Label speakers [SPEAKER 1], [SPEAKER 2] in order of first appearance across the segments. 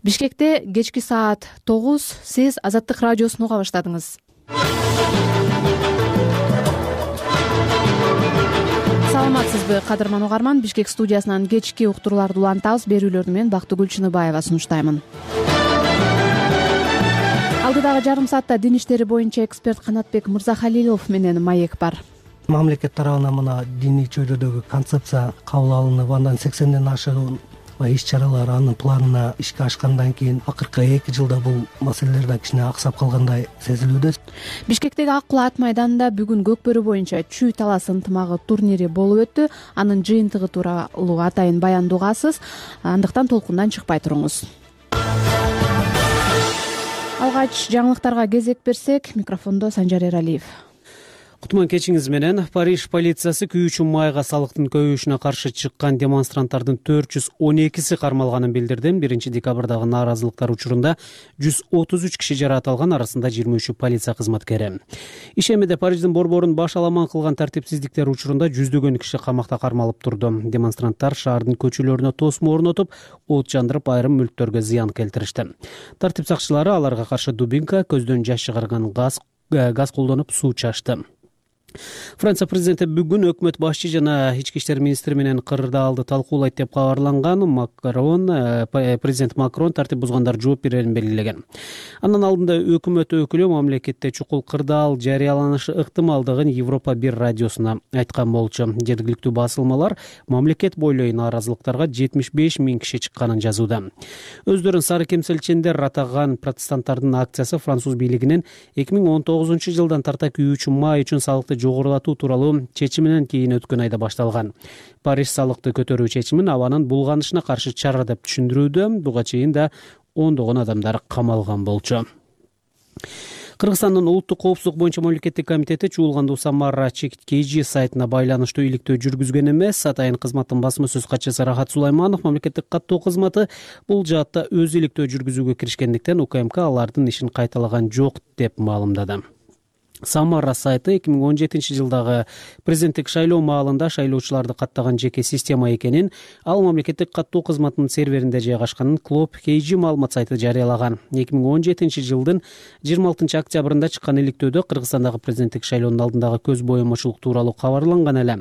[SPEAKER 1] Бишкекте кечки саат 9 сиз Азаттык радиосун уга баштадыңыз. Саламатсызбы, кадырман угарман? Бишкек студиясынан кечки уктурууларды улантабыз. Берүүлөрдү мен Бактыгүл Чыныбаева сунуштаймын. Алдыдагы жарым саатта дин иштери боюнча эксперт Канатбек Мырзахалилов менен маек бар.
[SPEAKER 2] Мамлекет тарабынан мына диний чөйрөдөгү концепция кабыл алынып, андан 80ден ашыгын иш-чаралар анын планына ишке ашкандан кийин акыркы 2 жылда бул маселелерден кичине аксап калгандай сезилүүдө.
[SPEAKER 1] Бишкектеги Ак Кул ат майданында бүгүн Көкбөрү боюнча чүй талас ынтымагы турнири болуп өттү. Анын жыйынтыгы тууралуу атайын баянды угасыз. Андыктан толкундан чыкпай туруңуз. Алгач жаңылыктарга кезек берсек, микрофондо Санжар Эралиев.
[SPEAKER 3] Кутман кечиңиз менен. Париж полициясы күйүүчү майга салыктын көбөйүшүнө каршы чыккан демонстранттардын 412си кармалганын билдирди. 1 декабрдагы нааразылыктар учурунда 133 киши жаратылган, арасында 23 полиция кызматкери. Ишемеде Париждин борборун баш аламан кылган тартипсиздиктер учурунда жүздөгөн киши камакта кармалып турду. Демонстранттар шаардын көчөлөрүнө тосмо орнотуп, от жандырып, айрым мүлктөргө зыян келтиришти. Тартип сакчылары аларга каршы дубинка, көздөн жаш чыгарган газ колдонуп суу чачты. Франция президенти бүгүн өкмөт башчы жана ички иштер министри менен кырдаалды талкуулайт деп кабарланган. Президент Макрон тартип бузгандар жооп берерин белгилеген. Андан алдында өкмөт өкүлү мамлекетте чукул кырдаал жарыяланышы ыктымалдыгын Европа 1 радиосуна айткан болчу. Жергиликтүү басылмалар мамлекет бойлой нааразылыктарга 75 000 киши чыкканын жазууда. Өздөрүн сары кемселчендер атаган протестанттардын акциясы француз бийлигинин 2019 жылдан тарта күйүүчү май үчүн салыкты жогорулатуу тууралуу чечиминен кийин өткөн айда башталган. Париж салыкты көтөрүү чечимин абанын булганышына каршы чара деп түшүндүрүүдө. Буга чейин да ондогон адамдар камалган болчу. Кыргызстандын улуттук коопсуздук боюнча мамлекеттик комитети чуулгандуу Самара KG сайтына байланыштуу иликтөө жүргүзгөн эмес. Атайын кызматтын басма сөз катчысы Рахат Сулайманов мамлекеттик каттоо кызматы бул жаатта өз иликтөө жүргүзүүгө киришкендиктен УКМК алардын ишин кайталаган жок деп маалымдады. Самара сайты 2017 жылдагы президенттик шайлоо маалында шайлоочуларды каттаган жеке система экенин, ал мамлекеттик каттоо кызматынын серверинде жайгашканын Клоп KG маалымат сайты жарыялаган. 2017 жылдын 26 октябрында чыккан иликтөөдө Кыргызстандагы президенттик шайлоонун алдындагы көз боемочулук тууралуу кабарланган эле.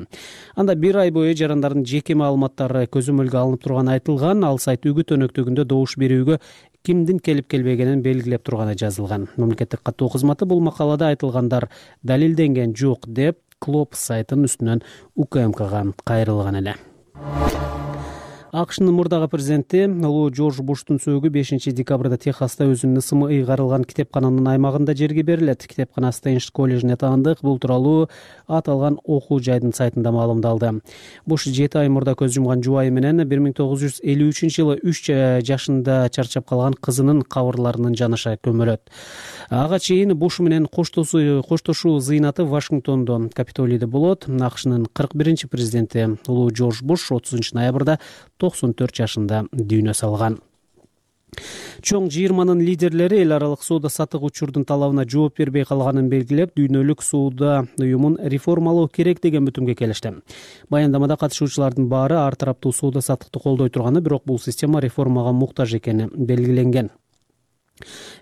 [SPEAKER 3] Анда 1 ай бою жарандардын жеке маалыматтары көзөмөлгө алынып турганы айтылган. Ал сайт үгүт өнөктөгүндө добуш берүүгө кимдин келип келбегенин белгилеп турганы жазылган. Мамлекеттик каттоо кызматы бул макалада айтылгандар далилденген жок деп Клоп сайтынын үстүнөн УКМКга кайрылган эле. АКШнын мурдагы президенти улуу Жорж Буштун сөөгү 5 декабрда Техаста өзүнүн ысымы ыйгарылган китепкананын аймагында жерге берилет. Китепкана Стейнш коллежине таандык. Бул тууралуу аталган окуу жайдын сайтында маалымдалды. Буш 7 ай мурда көз жумган жубайы менен 1953 жылы 3 жашында чарчап калган кызынын кабырларынын жаныша көмөлөт. Ага чейин Буш менен коштошуу зыйнаты Вашингтондо, Капитолийде болот. АКШнын 41 президенти улуу Жорж Буш 30 ноябрда 94 жашында дүйнө салган. Чоң жыйырманын лидерлери эл аралык соода саттык учурдун талабына жооп бербей калганын белгилеп, дүйнөлүк соода уюмун реформалоо керек деген бүтүмгө келишти. Баяндамада катышуучулардын баары ар тараптуу соода саттыкты колдой турганы, бирок бул система реформага муктаж экени белгиленген.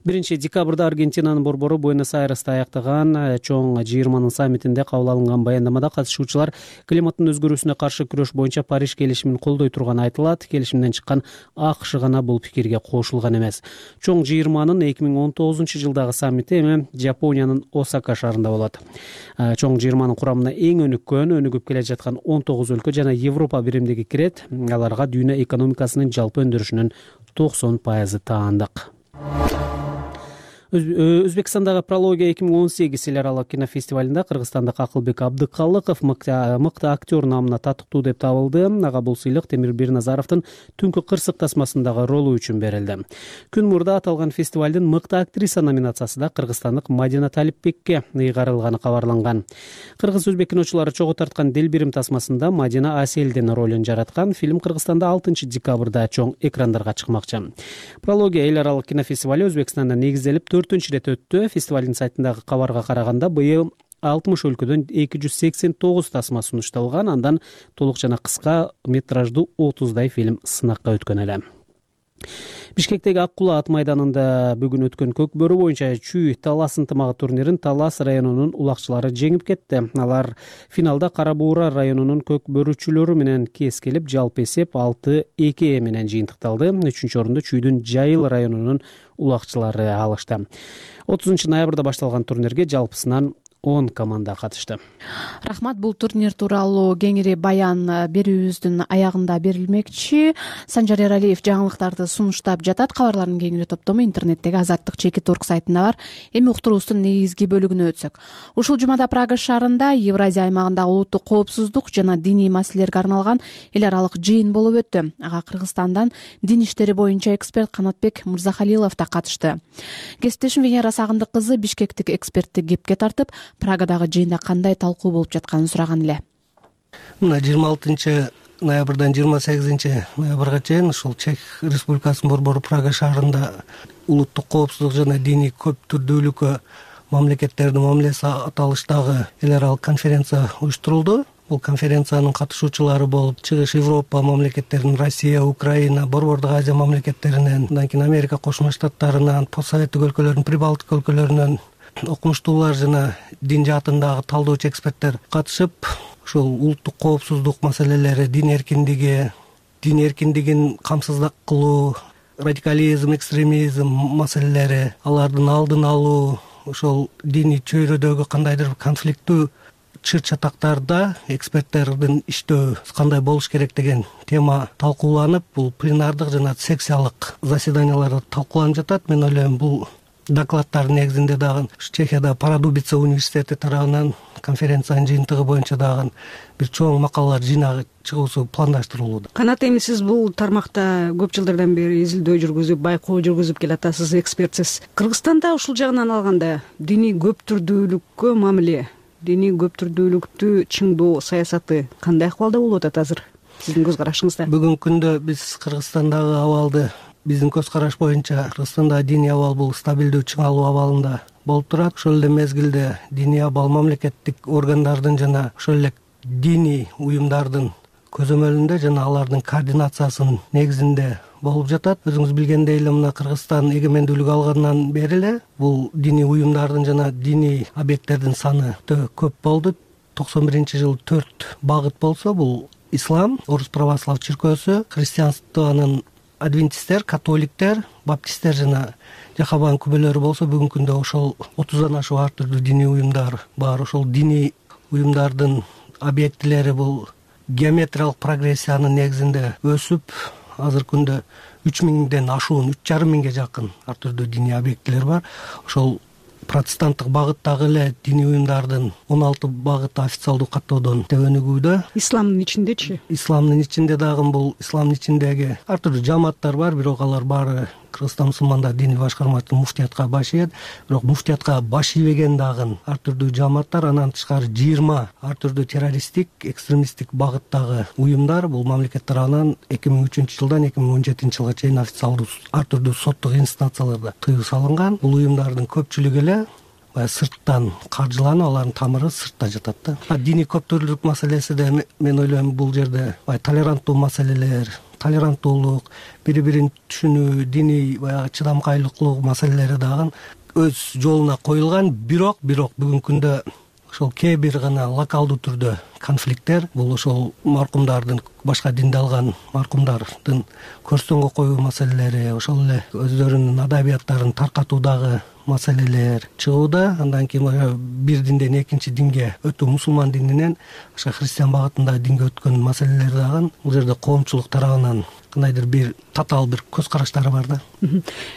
[SPEAKER 3] 1 декабрда Аргентинанын борбору Буэнос-Айресте аяктаган чоң жыйырманын саммитинде кабыл алынган баяндамада катышуучулар климаттын өзгөрүүсүнө каршы күрөш боюнча Париж келишимин колдой турганы айтылат. Келишимден чыккан АКШ гана бул пикирге кошулган эмес. Чоң жыйырманын 2019 жылдагы саммити эми Жапониянын Осака шаарында болот. Чоң жыйырманын курамына эң өнүгүп келе жаткан 19 өлкө жана Европа биримдиги кирет. Аларга дүйнө экономикасынын жалпы өндүрүшүнүн 90% таандык. Өзбекстандагы Прология 2018 эл аралык кинофестивалында кыргызстандык Акылбек Абдыкалыков мыкты актер намына татыктуу деп табылды. Ага бул сыйлык Темир Бирназаровдун Түнкү кырсык тасмасындагы ролу үчүн берилди. Күн мурда аталган фестивалдын мыкты актриса номинациясында кыргызстандык Мадина Талипбекке ыйгарылганы кабарланган. Кыргыз-өзбек киночулары чогуу тарткан Делбирим тасмасында Мадина Аселдин ролун жараткан. Фильм Кыргызстанда 6 декабрда чоң экрандарга чыкмакчы. Прология эл аралык кинофестивали Өзбекстанда негизделип 4-рет өттү. Фестивалдын сайтындагы кабарга караганда быйыл 60 өлкөдөн 289 тасма сунушталган. Андан толук жана кыска метраждуу 30дай фильм сынакка өткөн эле. Бишкектеги Ак Кулаа ат майданында бүгүн өткөн көк бөрү боюнча чүй талас ынтымагы турнирин Талас районунун улакчылары жеңип кетти. Алар финалда Кара Буура районунун көк бөрүчүлөрү менен кескилип, жалпы эсеп 6-2 менен жыйынтыкталды. 3-чү орунду чүйдүн Жайыл районунун улакчылары алышты. 30 ноябрда башталган турнирге жалпысынан 10 команда катышты.
[SPEAKER 1] Рахмат, бул турнир тууралуу кеңири баян берүүбүздүн аягында берилмекчи. Санжар Эралиев жаңылыктарды сунуштап жатат. Кабарлардын кеңири топтому интернеттеги Азаттык чекит орг сайтында бар. Эми уктуруубуздун негизги бөлүгүнө өтсөк. Ушул жумада Прага шаарында Евразия аймагындагы улуттук коопсуздук жана диний маселелерге арналган эл аралык жыйын болуп өттү. Ага Кыргызстандан дин иштери боюнча эксперт Канатбек Мырзахалилов да катышты. Кесиптешим Венера Сагындык кызы бишкектик экспертти кепке тартып, Прагадагы жыйында кандай талкуу болуп жатканын сураган эле.
[SPEAKER 2] Мына 26 ноябрдан 28 ноябрга чейин ушул Чех Республикасынын борбору Прага шаарында улуттук коопсуздук жана диний көп түрдүүлүккө мамлекеттердин мамилеси аталыштагы эл аралык конференция уюштурулду. Бул конференциянын катышуучулары болуп Чыгыш Европа мамлекеттеринин Россия, Украина, Борбордук Азия мамлекеттеринен, андан кийин Америка Кошмо Штаттарынан, постсоветтик өлкөлөрдүн, Прибалтика өлкөлөрүнөн окумуштуулар жана дин жаатындагы талдоочу эксперттер катышып, ушул улуттук коопсуздук маселелери, дин эркиндигин камсыздык кылуу, радикализм, экстремизм маселелери, алардын алдын алуу, ошол диний чөйрөдөгү кандайдыр конфликттүү чыр-чатактарда эксперттердин иштөө кандай болуш керек деген тема талкууланып, бул пленардык жана секциялык заседанияларда талкууланып жатат. Мен ойлойм, бул докладдардын негизинде дагы Чехияда Парадубица университети тарабынан конференциянын жыйынтыгы боюнча дагы бир чоң макалалар жыйнагы чыгуусу пландаштырылууда.
[SPEAKER 4] Канат, эми сиз бул тармакта көп жылдардан бери изилдөө жүргүзүп, байкоо жүргүзүп келатасыз, экспертсиз. Кыргызстанда ушул жагынан алганда диний көп түрдүүлүккө мамиле, диний көп түрдүүлүктү чыңдоо саясаты кандай акыбалда болуп атат азыр сиздин көз карашыңызда?
[SPEAKER 2] Бүгүнкү күндө биз Кыргызстандагы абалды, биздин көз караш боюнча Кыргызстанда диний абал бул стабилдүү чыңалуу абалында болуп турат. Ошол эле мезгилде диний абал мамлекеттик органдардын жана ошол эле диний уюмдардын көзөмөлүндө жана алардын координациясынын негизинде болуп жатат. Өзүңүз билгендей эле мына Кыргызстан эгемендүүлүк алгандан бери эле бул диний уюмдардын жана диний объекттердин саны өтө көп болду. 91-жылы 4 багыт болсо, бул ислам, орус православ чиркөөсү, христианствонун адвентисттер, католиктер, баптисттер жана жахабан күбөлөрү болсо, бүгүнкү күндө ошол 30дан ашуун ар түрдүү диний уюмдар бар. Ошол диний уюмдардын объектилери бул геометриялык прогрессиянын негизинде өсүп, азыркы күндө 3000ден ашуун, 3500 жакын ар түрдүү диний объектилер бар. Ошол протестанттык багыттагы эле диний уюмдардын 16 багыты официалдуу каттоодон өнүгүүдө.
[SPEAKER 4] Исламдын ичиндечи?
[SPEAKER 2] Исламдын ичинде дагы бул исламдын ичиндеги ар түрдүү жамааттар бар, бирок алар баары Кыргызстан мусулмандар диний башкармасынын муфтиятка баш ийет. Бирок муфтиятка баш ийбеген дагы ар түрдүү жамааттар, андан тышкары 20 ар түрдүү террористтик, экстремисттик багыттагы уюмдар бул мамлекет тарабынан 2003-жылдан 2017-жылга чейин официалдуу ар түрдүү соттук инстанцияларда тыюу салынган. Бул уюмдардын көпчүлүгү эле сырттан каржыланып, алардын тамыры сыртта жатат да. Диний көп түрлүүлүк маселеси да, мен ойлойм, бул жерде толеранттуу маселелер, толеранттуулук, бири-бирин түшүнүү, диний баягы чыдамкайлыктуу маселелери дагы өз жолуна коюлган. Бирок бүгүнкү күндө ошол кээ бир гана локалдуу түрдө конфликттер, бул ошол маркумдардын, башка динди алган маркумдардын көрсөңгө коюу маселелери, ошол эле өздөрүнүн адабияттарын таркатуудагы маселелер чыгууда. Андан кийин бир динден экинчи динге өтүү, мусулман дининен башка христиан багытындагы динге өткөн маселелер дагы бул жерде коомчулук тарабынан кандайдыр бир татаал бир көз караштары бар да.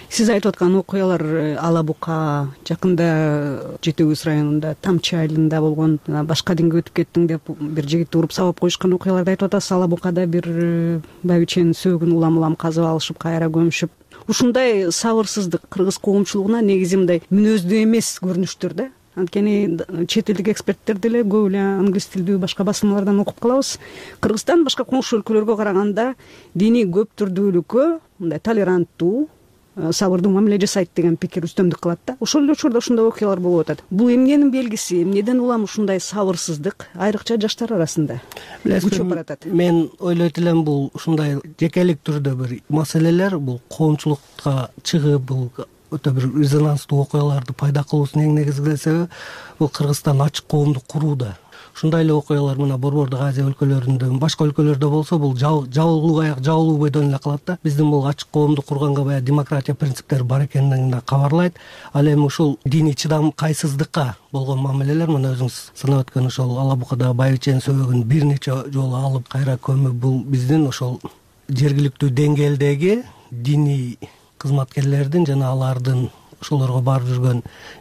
[SPEAKER 4] Сиз айтып аткан окуялар Ала Бука, жакында Жети Көз районунда Тамчы айылында болгон, башка динге өтүп кеттиң деп бир жигитти уруп сабап коюшкан окуяларды айтып атасыз. Ала Букада бир байбиченин сөөгүн улам казып алышып, кайра көмүшүп, ушундай сабырсыздык кыргыз коомчулугуна негизи мындай мүнөздүү эмес көрүнүштөр да. Анткени чет элдик эксперттер деле көп эле англис тилдүү башка басылмалардан окуп калабыз. Кыргызстан башка коңшу өлкөлөргө караганда диний көп түрдүүлүккө мындай толеранттуу, сабырдуу мамиле жасайт деген пикир үстөмдүк кылат да. Ошол эле учурда ушундай окуялар болуп атат. Бул эмненин белгиси? Эмнеден улам ушундай сабырсыздык айрыкча жаштар арасында күчөп баратат?
[SPEAKER 2] Мен ойлойт элем бул ушундай жекелик түрдө бир маселелер, бул коомчулукка чыгып, бул өтө бир резонанстуу окуяларды пайда кылуусунун эң негизги себеби бул Кыргызстан ачык коомду курууда. Ушундай эле окуялар мына Борбордук Азия өлкөлөрүндө, башка өлкөлөрдө болсо бул жабылуу аяк жабылуу бойдон эле калат да. Биздин бул ачык коомду курганга баягы демократия принциптери бар экенин да кабарлайт. Ал эми ушул диний чыдамкайсыздыкка болгон мамилелер, мына өзүңүз санап өткөн ошол Ала Букадагы Байбиченин сөөгүн бир нече жолу алып кайра көмүп, бул биздин ошол жергиликтүү деңгээлдеги диний кызматкерлердин жана алардын ошолорго барып жүргөн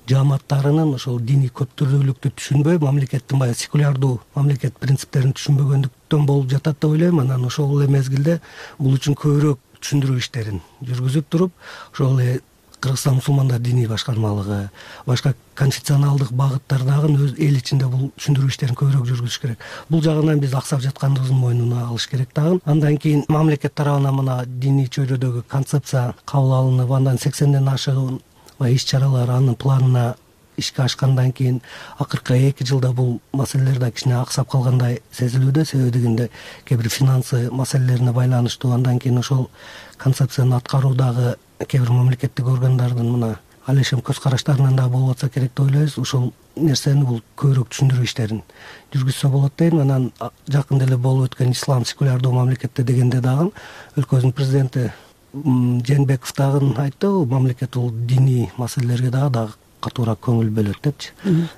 [SPEAKER 2] жааматтарынын ошол диний көптүрдүүлүктү түшүнбөй, мамлекеттин баягы секулярдуу мамлекет принциптерин түшүнбөгөндүктөн болуп жатат деп ойлойм. Анан ошол эле мезгилде бул үчүн көбүрөөк түшүндүрүү иштерин жүргүзүп туруп, ошол эле Кыргызстан мусулмандар диний башкармалыгы, башка конфессионалдык багыттардагы өз эл ичинде бул түшүндүрүү иштерин көбүрөөк жүргүзүш керек. Бул жагынан биз аксап жаткандыгыбыздын мойнуна алыш керек дагы. Андан кийин мамлекет тарабынан мына диний чөйрөдөгү концепция кабыл алынып, андан 80ден ашыгын иш чаралар анын планына ишке ашкандан кийин акыркы 2 жылда бул маселелер да кичине аксап калгандай сезилүүдө. Себеби дегенде кээ бир финансы маселелерине байланыштуу. Андан кийин ошол концепцияны аткаруудагы кээ бир мамлекеттик органдардын мына алешем көз караштарынан да болуп атса керек деп ойлойбуз. Ошол нерсени бул көбүрөөк түшүндүрүү иштерин жүргүзсө болот дейм. Анан жакында эле болуп өткөн ислам секулярдуу мамлекетте дегенде дагы өлкөбүздүн президенти Жээнбеков дагы айтты, мамлекет бул диний маселелерге дагы катуураак көңүл бөлөт депчи.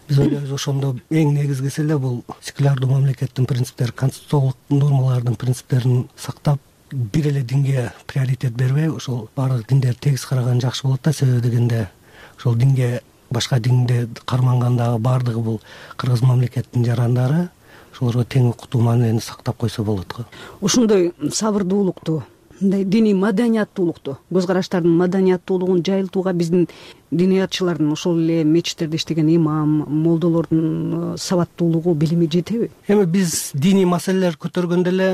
[SPEAKER 2] Биз ойлойбуз ошондо эң негизгиси эле бул секулярдуу мамлекеттин принциптери, конституциялык нормалардын принциптерин сактап, бир эле динге приоритет бербей, ошол баардык диндерди тегиз караган жакшы болот да. Себеби дегенде ошол динге, башка динде кармангандагы баардыгы бул кыргыз мамлекеттин жарандары, ошолорго тең укуктуу мамилени сактап койсо болот го.
[SPEAKER 4] Ошондой сабырдуулукту, мындай диний маданияттуулукту, көз караштардын маданияттуулугун жайылтууга биздин диниятчылардын, ошол эле мечиттерде иштеген имам, молдолордун сабаттуулугу, билими жетеби?
[SPEAKER 2] Эми биз диний маселелер көтөргөндө эле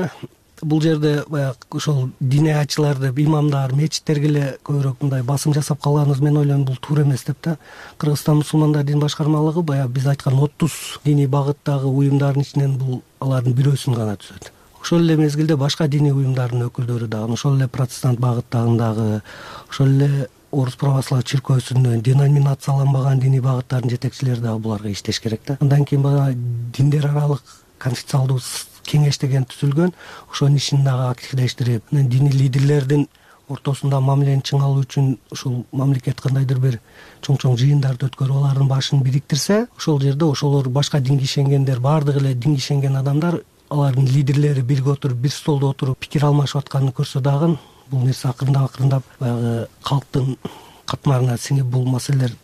[SPEAKER 2] бул жерде баягы ошол диниятчыларды, имамдар, мечиттерге эле көбүрөөк мындай басым жасап калганыбыз мен ойлойм бул туура эмес деп да. Кыргызстан мусулмандар дин башкармалыгы баягы биз айткан 30 диний багыттагы уюмдардын ичинен бул алардын бирөөсүн гана түзөт. Ошол эле мезгилде башка диний уюмдардын өкүлдөрү дагы, ошол эле протестант багыттагындагы, ошол эле Орус православ чиркөөсүнөн деноминацияланбаган диний багыттардын жетекчилери дагы буларга иштеш керек да. Андан кийин баягы диндер аралык конфессионалдуу кеңеш деген түзүлгөн, ошонун ишин дагы активдештирип, диний лидерлердин ортосунда мамилени чың алуу үчүн ушул мамлекет кандайдыр бир чоң жыйындарды өткөрүп алардын башын бириктирсе, ошол жерде ошолор башка динге ишенгендер, баардыгы эле динге ишенген адамдар, алардын лидерлери бирге отуруп, бир столдо отуруп пикир алмашып атканын көрсө дагы бул нерсе акырындап баягы калктын катмарына сиңип бул маселелер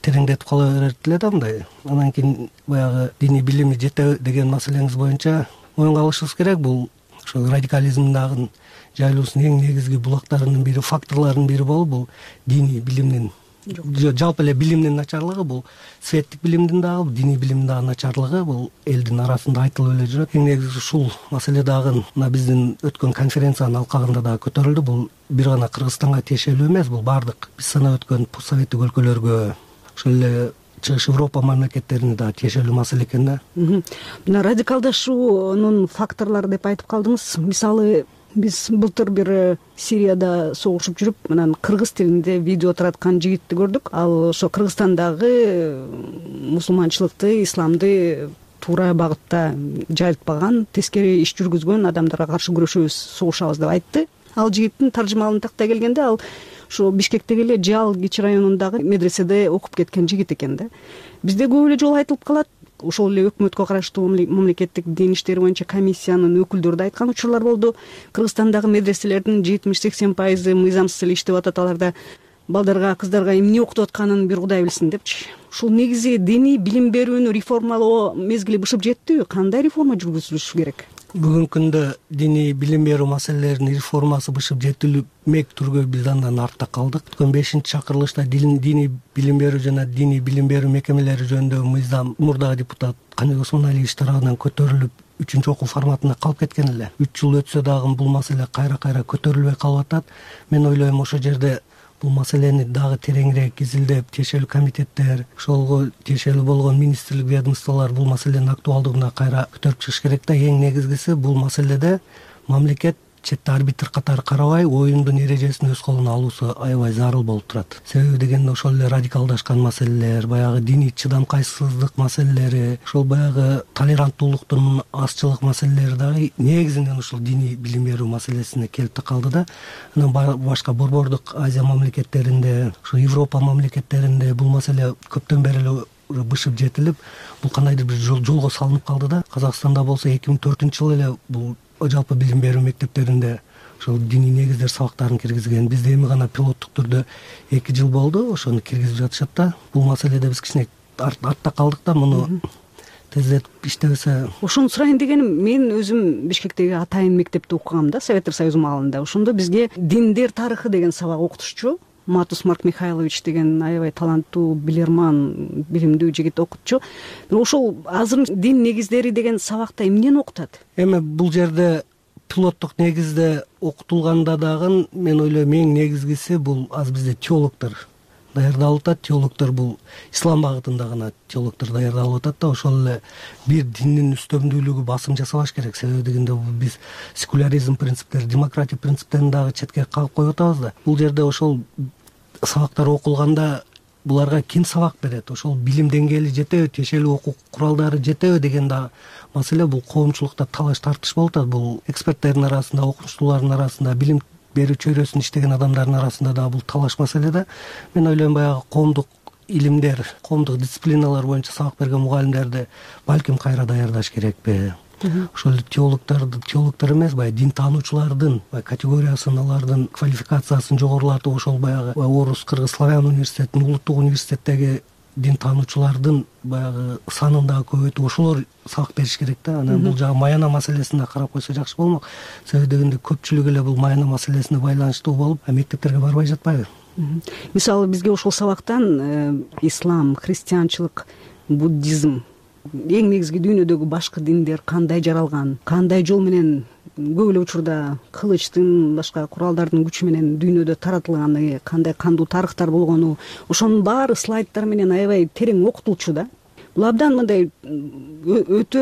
[SPEAKER 2] тереңдетип кала берет эле да мындай. Анан кийин баягы диний билими жетеби деген маселеңиз боюнча моюнга алышыбыз керек. Бул ошол радикализмдагы жайылуусунун эң негизги булактарынын бири, факторлорунун бири болуп, бул диний билимдин жалпы эле билимдин начарлыгы, бул светтик билимдин дагы, диний билимдин дагы начарлыгы бул элдин арасында айтылып эле жүрөт. Эң негизи ушул маселе дагы мына биздин өткөн конференциянын алкагында дагы көтөрүлдү. Бул бир гана Кыргызстанга тиешелүү эмес, бул баардык биз санап өткөн постсоветтик өлкөлөргө, ошол эле Чыгыш Европа мамлекеттерине дагы тиешелүү маселе экен да.
[SPEAKER 4] Мына радикалдашуунун факторлору деп айтып калдыңыз. Мисалы, биз былтыр бир Сирияда согушуп жүрүп, анан кыргыз тилинде видео тараткан жигитти көрдүк. Ал ошо Кыргызстандагы мусулманчылыкты, исламды туура багытта жайылтпаган, тескери иш жүргүзгөн адамдарга каршы күрөшөбүз, согушабыз деп айтты. Ал жигиттин таржымалын тактай келгенде, ал ошо Бишкектеги эле Жал Кичи районундагы медреседе окуп кеткен жигит экен да. Бизде көп эле жолу айтылып калат. Ошол эле өкмөткө караштуу мамлекеттик дин иштери боюнча комиссиянын өкүлдөрү да айткан учурлар болду. Кыргызстандагы медреселердин 70-80% мыйзамсыз эле иштеп атат, аларда балдарга, кыздарга эмне окутуп атканын бир Кудай билсин депчи. Ушул негизи диний билим берүүнү реформалоо мезгили бышып жеттиби? Кандай реформа жүргүзүлүшү керек?
[SPEAKER 2] Бүгүнкү күндө диний билим берүү маселелеринин реформасы бышып жетилмек түргө биз андан артта калдык. Өткөн 5-чакырылышта диний билим берүү жана диний билим берүү мекемелери жөнүндөгү мыйзам мурдагы депутат Каныбек Осмоналиевич тарабынан көтөрүлүп 3-чү окуу форматына калып кеткен эле. 3 жыл өтсө дагы бул маселе кайра көтөрүлбөй калып атат. Мен ойлойм ошол жерде бул маселени дагы тереңирээк изилдеп, тиешелүү комитеттер, ошолго тиешелүү болгон министрлик, ведомстволор бул маселенин актуалдыгына кайра көтөрүп чыгыш керек да. Эң негизгиси бул маселеде мамлекет четте арбитр катары карабай, оюндун эрежесин өз колуна алуусу аябай зарыл болуп турат. Себеби дегенде ошол эле радикалдашкан маселелер, баягы диний чыдамкайсыздык маселелери, ошол баягы толеранттуулуктун азчылык маселелери дагы негизинен ушул диний билим берүү маселесине келип такалды да. Анан башка борбордук Азия мамлекеттеринде, ушу Европа мамлекеттеринде бул маселе көптөн бери эле бышып жетилип, бул кандайдыр бир жолго салынып калды да. Казакстанда болсо 2004-жылы эле бул жалпы билим берүү мектептеринде ошол диний негиздер сабактарын киргизген. Бизде эми гана пилоттук түрдө 2 жыл болду, ошону киргизип жатышат да. Бул маселеде биз кичине артта калдык да. Муну тездетип иштебесе.
[SPEAKER 4] Ошону сурайын дегеним, мен өзүм Бишкектеги атайын мектепте окугам да, Советтер Союзу маалында. Ошондо бизге диндер тарыхы деген сабак окутушчу Матус Марк Михайлович деген аябай таланттуу, билерман, билимдүү жигит окутчу. Ошол азыр дин негиздери деген сабакта эмнени окутат?
[SPEAKER 2] Эми бул жерде пилоттук негизде окутулганда дагы мен ойлойм эң негизгиси бул азыр бизде теологдор даярдалып атат. Теологдор бул ислам багытында гана теологдор даярдалып атат да. Ошол эле бир диндин үстөмдүүлүгү басым жасабаш керек. Себеби дегенде биз секуляризм принциптери, демократия принциптерин дагы четке кагып коюп атабыз да. Бул жерде ошол сабактар окулганда буларга ким сабак берет, ошол билим деңгээли жетеби, тиешелүү окуу куралдары жетеби деген да маселе. Бул коомчулукта талаш тартыш болуп атат. Бул эксперттердин арасында, окумуштуулардын арасында, билим берүү чөйрөсүн иштеген адамдардын арасында да бул талаш маселе да. Мен ойлойм баягы коомдук илимдер, коомдук дисциплиналар боюнча сабак берген мугалимдерди балким кайра даярдаш керекпи? Ошол теологдор эмес, баягы дин таануучулардын категориясын, алардын квалификациясын жогорулатып, ошол баягы орус, кыргыз, славян университетинин, улуттук университеттеги дин таануучулардын баягы санын дагы көбөйтүп, ошолор сабак бериш керек да. Анан бул жагы маяна маселесине карап койсо жакшы болмок. Себеби дегенде көпчүлүк эле бул маяна маселесине байланыштуу болуп, мектептерге барбай жатпайбы?
[SPEAKER 4] Мисалы бизге ошол сабактан ислам, христианчылык, буддизм, эң негизги дүйнөдөгү башкы диндер кандай жаралган, кандай жол менен көп эле учурда кылычтын, башка куралдардын күчү менен дүйнөдө таратылганы, кандай кандуу тарыхтар болгону, ошонун баары слайддар менен аябай терең окутулчу да. Бул абдан мындай өтө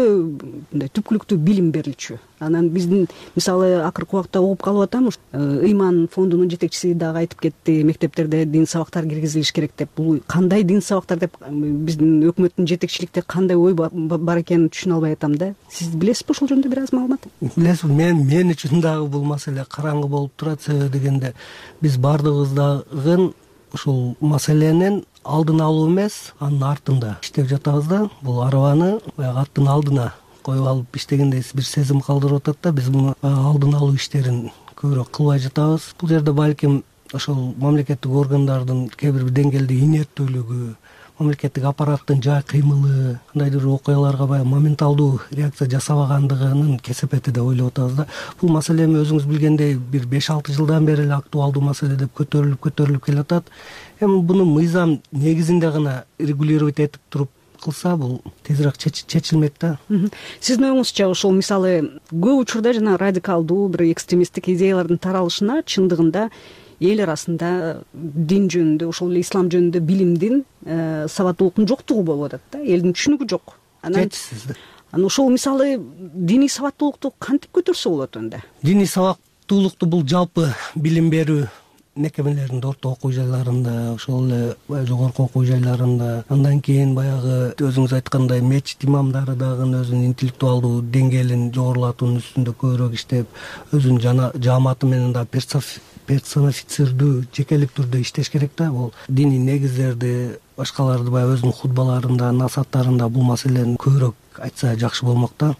[SPEAKER 4] мындай түпкүлүктүү билим берилчү. Анан биздин мисалы акыркы убакта угуп калып атам, Ыйман фондунун жетекчиси дагы айтып кетти, мектептерде дин сабактар киргизилиш керек деп. Бул кандай дин сабактар деп биздин өкмөттүн жетекчиликте кандай ой бар экенин түшүнө албай атам да. Сиз билесизби ошол жөнүндө бир аз маалымат?
[SPEAKER 2] Билесизби, мен үчүн дагы бул маселе караңгы болуп турат. Себеби дегенде биз баардыгыбыз дагы ушул маселенин алдын алуу эмес, анын артында иштеп жатабыз да. Бул арабаны баягы аттын алдына коюп алып иштегендей бир сезим калтырып атат да. Биз муну алдын алуу иштерин көбүрөөк кылбай жатабыз. Бул жерде балким ошол мамлекеттик органдардын кээ бир деңгээлде инерттүүлүгү, мамлекеттик аппараттын жай кыймылы, кандайдыр окуяларга баягы моменталдуу реакция жасабагандыгынын кесепети деп ойлоп атабыз да. Бул маселе эми өзүңүз билгендей бир 5-6 жылдан бери эле актуалдуу маселе деп көтөрүлүп келатат. Эми буну мыйзам негизинде гана регулировать этип туруп кылса, бул тезирээк чечилмек да.
[SPEAKER 4] Сиздин оюңузча ошол мисалы көп учурда жана радикалдуу бир экстремисттик идеялардын таралышына чындыгында эл арасында дин жөнүндө, ошол эле ислам жөнүндө билимдин, сабаттуулуктун жоктугу болуп атат да. Элдин түшүнүгү жок. Анан ошол мисалы диний сабаттуулукту кантип көтөрсө болот анда?
[SPEAKER 2] Диний сабаттуулукту бул жалпы билим берүү мекемелеринде, орто окуу жайларында, ошол эле жогорку окуу жайларында, андан кийин баягы өзүңүз айткандай мечит имамдары дагы өзүнүн интеллектуалдуу деңгээлин жогорулатуунун үстүндө көбүрөөк иштеп, өзүнүн жааматы менен да персонифицирдүү, жекелик түрдө иштеш керек да. Бул диний негиздерди, башкаларды баягы өзүнүн хутбаларында, насааттарында бул маселени көбүрөөк айтса жакшы болмок да.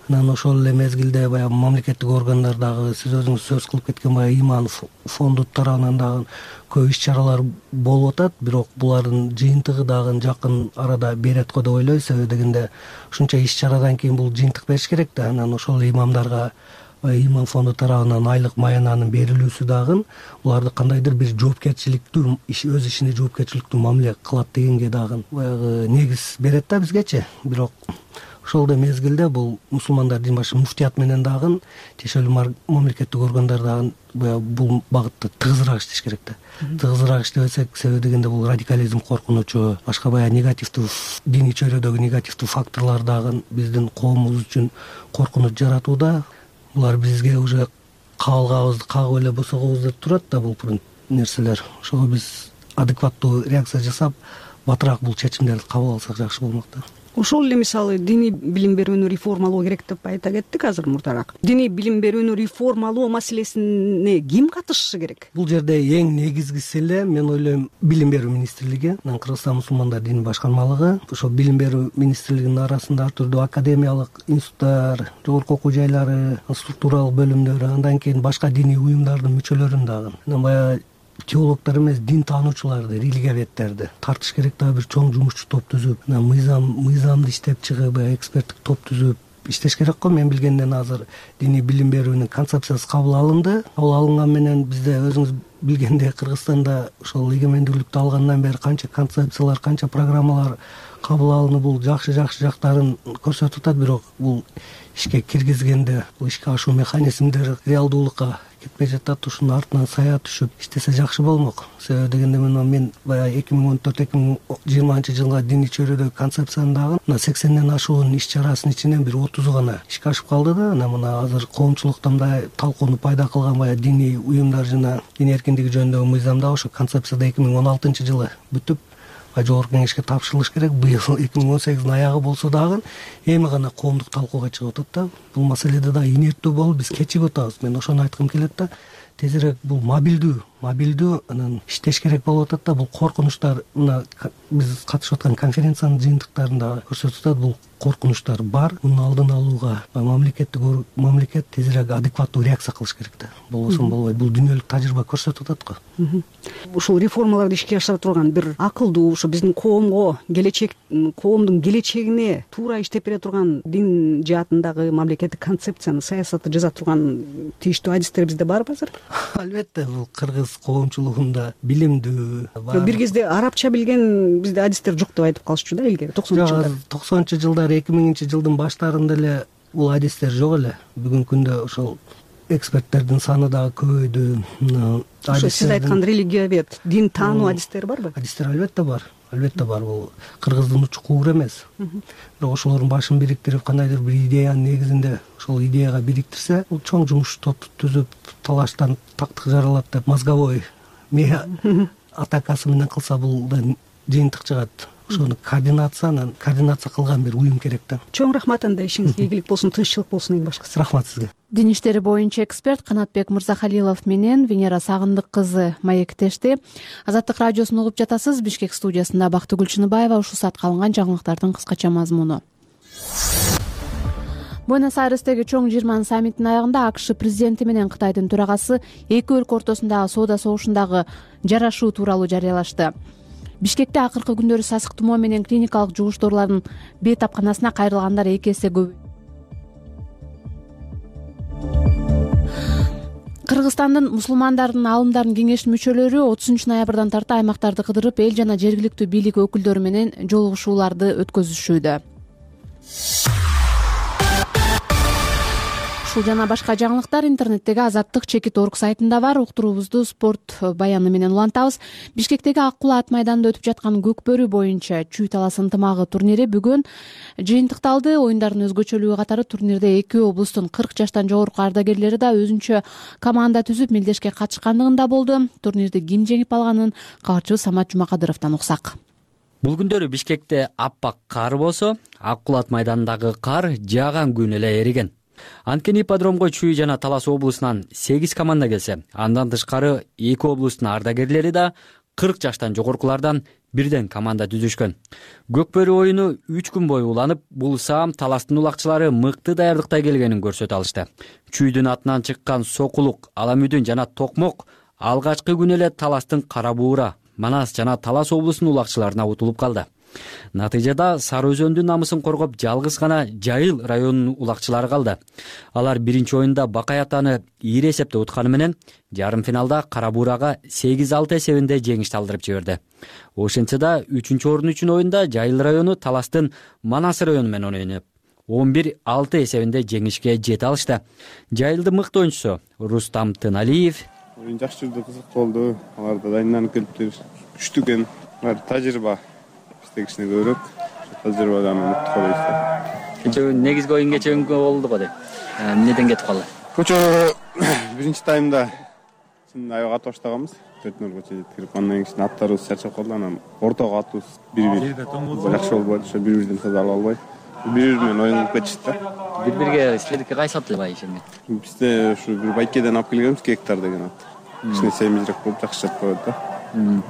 [SPEAKER 2] Анан ошол эле мезгилде баягы мамлекеттик органдар дагы, сиз өзүңүз сөз кылып кеткен баягы Ыйман фонду тарабынан дагы көп иш-чаралар болуп атат, бирок булардын жыйынтыгы дагы жакын арада берет го деп ойлойм. Себеби дегенде ушунча иш-чарадан кийин бул жыйынтык бериш керек да. Анан ошол имамдарга Ыйман фонду тарабынан айлык маянанын берилүүсү дагы буларды кандайдыр бир жоопкерчиликтүү, өз ишине жоопкерчиликтүү мамиле кылат дегенге дагы баягы негиз берет да бизгечи. Бирок Ошол эле мезгилде бул мусулмандар дин башы муфтият менен дагы тиешелүү мамлекеттик органдар дагы бул багытта тыгызыраак иштеш керек да. Тыгызыраак иштебесек, себеби дегенде бул радикализм коркунучу, башка баягы негативдүү диний чөйрөдөгү негативдүү факторлор дагы биздин коомубуз үчүн коркунуч жаратууда. Булар бизге уже кабылгабызды кагып эле босогобуз деп турат да бул нерселер. Ошого биз адекваттуу реакция жасап, батыраак бул чечимдерди кабыл алсак жакшы болмок да.
[SPEAKER 4] Ошол эле мисалы диний билим берүүнү реформалоо керек деп айта кеттик азыр мурдараак. Диний билим берүүнү реформалоо маселесине ким катышышы керек?
[SPEAKER 2] Бул жерде эң негизгиси эле мен ойлойм билим берүү министрлиги, Кыргызстан мусулмандар дини башкармалыгы. Ошол билим берүү министрлигинин арасында ар түрдүү академиялык институттар, жогорку окуу жайлары, структуралык бөлүмдөрү, андан кийин башка диний уюмдардын мүчөлөрүн дагы, баягы теологдор эмес, дин таануучуларды, религиоведтерди тартыш керек да, бир чоң жумушчу топ түзүп, мыйзамды иштеп чыгып, эксперттик топ түзүп иштеш керек го. Мен билгенден азыр диний билим берүүнүн концепциясы кабыл алынды. Кабыл алынган менен бизде өзүңүз билгендей Кыргызстанда ошол эгемендүүлүктү алгандан бери канча концепциялар, канча программалар кабыл алынып, бул жакшы жактарын көрсөтүп атат. Бирок бул ишке киргизгенде бул ишке ашуу механизмдери реалдуулукка кетпей жатат. Ушунун артынан сая түшүп иштесе жакшы болмок. Себеби дегенде мен баягы 2014-2020 жылга диний чөйрөдөгү концепцияны дагы 80ден ашуун иш чарасын ичинен бир 30 гана ишке ашып калды да. Мына азыр коомчулукта мындай талкууну пайда кылган баягы диний уюмдар жана дин эркиндиги жөнүндөгү мыйзамда ошо концепцияда 2016-жылы бүтүп жогорку кеңешке тапшырылыш керек. Быйыл 2018 аягы болсо дагы эми гана коомдук талкууга чыгып атат да. Бул маселеде да инерттүү болуп биз кечигип атабыз. Мен ошону айткым келет да. Тезирээк бул мобилдүү анан иштеш керек болуп атат да. Бул коркунучтар мына биз катышып аткан конференциянын жыйынтыктарында көрсөтүп атат. Бул коркунучтар бар. Мунун алдын алууга мамлекет тезирээк адекваттуу реакция кылыш керек да. Болбосо болбойт. Бул дүйнөлүк тажрыйба көрсөтүп атат го.
[SPEAKER 4] Ушул реформаларды ишке ашыра турган бир акылдуу, ошо биздин коомго, коомдун келечегине туура иштеп бере турган дин жаатындагы мамлекеттик концепцияны, саясатты жаза турган тийиштүү адистер бизде барбы азыр?
[SPEAKER 2] Албетте, бул кыргыз коомчулугунда билимдүү бар.
[SPEAKER 4] Бир кезде арабча билген бизде адистер жок деп айтып калышчу да илгери
[SPEAKER 2] 90-жылдар. 2000-жылдын баштарында эле бул адистер жок эле. Бүгүнкү күндө ошол эксперттердин саны дагы көбөйдү.
[SPEAKER 4] Ошо сиз айткан религиовед, дин таануу адистер барбы?
[SPEAKER 2] Адистер албетте бар. Бул кыргыздын учкуур эмес. Бирок ошолордун башын бириктирип, кандайдыр бир идеянын негизинде ошол идеяга бириктирсе, бул чоң жумуш топ түзүп, талаштан тактык жаралат деп мозговой атакасы менен кылса, бул да жыйынтык чыгат. Ошону координация кылган бир уюм керек да.
[SPEAKER 4] Чоң рахмат, анда ишиңизге ийгилик болсун, тынччылык болсун эң башкысы.
[SPEAKER 2] Рахмат сизге.
[SPEAKER 1] Дин иштери боюнча эксперт Канатбек Мырзахалилов менен Венера Сагындык кызы маектешти. Азаттык радиосун угуп жатасыз. Бишкек студиясында Бактыгүл Чыныбаева. Ушул саатка алынган жаңылыктардын кыскача мазмуну. Буэнос-Айрестеги чоң 20 саммитинин аягында АКШ президенти менен Кытайдын төрагасы эки өлкө ортосундагы соода согушундагы жарашуу тууралуу жарыялашты. Бишкекте акыркы күндөрү сасык тумоо менен клиникалык жугуштоолордун бейтапканасына кайрылгандар 2 эсе көп. Кыргызстандын мусулмандардын аалымдардын кеңешинин мүчөлөрү 30 ноябрдан тарта аймактарды кыдырып, эл жана жергиликтүү бийлик өкүлдөрү менен жолугушууларды өткөзүшүүдө. Ушул жана башка жаңылыктар интернеттеги Азаттык чекит.org сайтында бар. Уктуруубузду спорт баяны менен улантабыз. Бишкектеги Ак Кулат майданында өтүп жаткан Көкбөрү боюнча чүй талас ынтымагы турнири бүгүн жыйынтыкталды. Оюндардын өзгөчөлүгү катары турнирде 2 облустун 40 жаштан жогорку ардагерлери да өзүнчө команда түзүп мелдешке катышкандыгында болду. Турнирди ким жеңип алганын кабарчыбыз Самат Жумакадыровдон уксак.
[SPEAKER 5] Бул күндөрү Бишкекте аппак кар болсо, Ак Кулат майданындагы кар жааган күн эле эриген. Анткени ипподромго Чүй жана Талас облусунан 8 команда келсе, андан тышкары 2 облустун ардагерлери да 40 жаштан жогоркулардан бирден команда түзүшкөн. Көкбөрү оюну 3 күн бою уланып, бул саам Таластын улакчылары мыкты даярдыкта келгенин көрсөтө алышты. Чүйдүн атынан чыккан Сокулук, Аламүдүн жана Токмок алгачкы күн эле Таластын Кара Буура, Манас жана Талас облусунун улакчыларына утулуп калды. Натыйжада Сары Өзөндүн намысын коргоп жалгыз гана Жайыл районунун улакчылары калды. Алар биринчи оюнда Бакай атаны ийри эсепте утканы менен жарым финалда Кара Буурага 8-6 эсебинде жеңиш алдырып жиберди. Ошентсе да 3-орун үчүн оюнда Жайыл району Таластын Манас району менен ойноп, 11-6 эсебинде жеңишке жете алышты. Жайылдын мыкты ойунчусу Рустам Тыналиев:
[SPEAKER 6] Оюн жакшы жүрдү, кызык болду. Алар да дайындалып келиптир. Күчтүү экен. Алар тажрыйба. Бизде кичине көбүрөөк. Тажрыйбадан мыкты болуп.
[SPEAKER 5] Кечээ негизги оюн кечээ болду го деп. Эмнеден кетип калды?
[SPEAKER 6] Көчө биринчи таймда аябай катуу баштаганбыз. 4-0 жеткирип, андан кийин аттарыбыз чарчап калды. Анан ортого атыбыз 1-1. Жакшы болбойт, ошо 1-1ден таза ала албай. 1-1 менен оюн кетишти да.
[SPEAKER 5] 1-1 силердики кайсы ат эле бай ишенген?
[SPEAKER 6] Бизде ушу бир байкеден алып келгенбиз, гектар деген ат. Кичине семизирээк болуп жакшы чап коет да.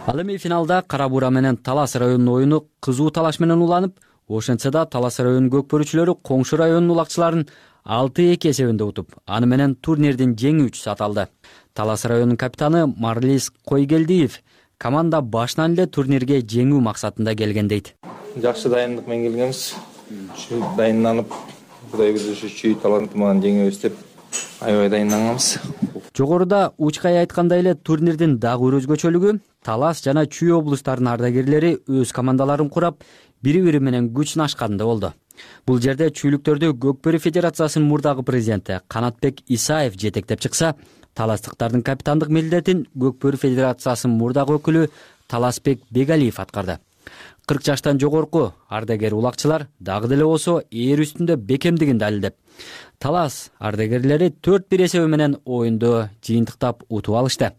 [SPEAKER 5] Ал эми финалда Кара Буура менен Талас районунун оюну кызуу талаш менен уланып, ошентсе да Талас районунун көкпөрүүчүлөрү коңшу районунун улакчыларын 6-2 эсебинде утуп, аны менен турнирдин жеңүүчүсү аталды. Талас районунун капитаны Марлис Койгелдиев команда башынан эле турнирге жеңүү максатында келген дейт.
[SPEAKER 7] Жакшы дайындык менен келгенбиз. Дайынданып, Кудай буюрса чүй таланты менен жеңебиз деп аябай дайынданганбыз.
[SPEAKER 5] Жогоруда Учкай айткандай эле турнирдин дагы бир өзгөчөлүгү Талас жана Чүй облустарынын ардагерлери өз командаларын курап, бири-бири менен күч сынашканда болду. Бул жерде чүйлүктөрдү Көкбөрү Федерациясынын мурдагы президенти Канатбек Исаев жетектеп чыкса, таластыктардын капитандык милдетин Көкбөрү Федерациясынын мурдагы өкүлү Таласбек Бегалиев аткарды. 40 жаштан жогорку ардагер улакчылар дагы деле болсо ээр үстүндө бекемдигин далилдеп, Талас ардагерлери 4-1 эсеби менен оюнду жыйынтыктап утуп алышты.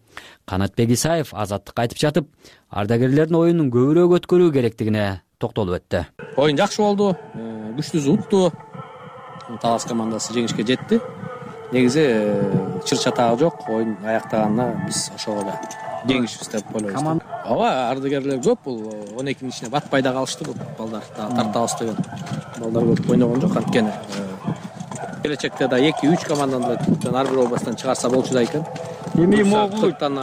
[SPEAKER 5] Канатбек Исаев азаттыкка айтып жатып, ардагерлердин оюнун көбүрөөк өткөрүү керектигине токтолуп өттү.
[SPEAKER 8] Оюн жакшы болду, күчтүү утту. Талас командасы жеңишке жетти. Негизи чыр-чатагы жок, оюн аяктаганына биз ошого эле жеңишибиз деп ойлойбуз. Ооба, ардагерлер көп, бул 12-нин ичине батпай да калышты бул балдар. Тартабыз деген балдар көп ойногон жок, анткени келечекте да 2-3 команданы ар бир областтан чыгарса болчу да экен. Эми могулуктан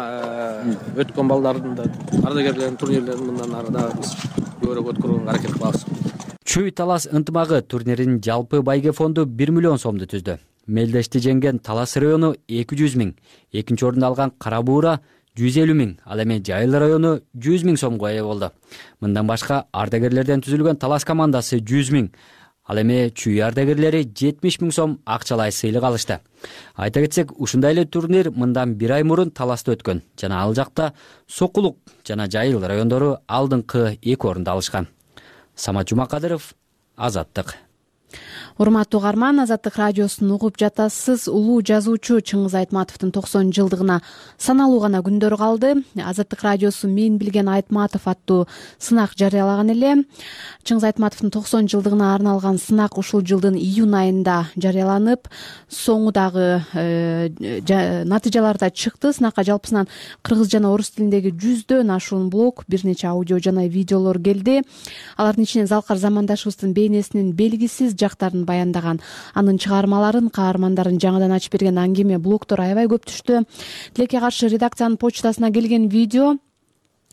[SPEAKER 8] өткөн балдардын да ардагерлердин турнирлерин мындан ары да биз көбүрөөк өткөрүүгө аракет кылабыз.
[SPEAKER 5] Чүй Талас ынтымагы турниринин жалпы байге фонду 1 миллион сомду түздү. Мелдешти жеңген Талас району 200 000, экинчи орунду алган Кара Буура 150 000, ал эми Жайыл району 100 000 сомго ээ болду. Мындан башка ардагерлерден түзүлгөн Талас командасы 100 000, ал эми Чүй ардагерлери 70 000 сом акчалай сыйлык алышты. Айта кетсек, ушундай эле турнир мындан 1 ай мурун Таласта өткөн жана ал жакта Сокулук жана Жайыл райондору алдыңкы 2 орунду алышкан. Самат Жумакадыров, Азаттык.
[SPEAKER 1] Урматтуу угарман, Азаттык радиосун угуп жатасыз. Улуу жазуучу Чыңгыз Айтматовдун 90 жылдыгына саналуу гана күндөр калды. Азаттык радиосу Мен билген Айтматов аттуу сынак жарыялаган эле. Чыңгыз Айтматовдун 90 жылдыгына арналган сынак ушул жылдын июнь айында жарыяланып, соңу дагы натыйжалар да чыкты. Сынакка жалпысынан кыргыз жана орус тилиндеги 100дөн ашуун блог, бир нече аудио жана видеолор келди. Алардын ичинен Залкар замандашыбыздын бейнесинин белгисиз жактарын баяндаган, анын чыгармаларын, каармандарын жаңыдан ачып берген аңгеме блогдор аябай көп түштү. Тилекке каршы редакциянын почтасына келген видео,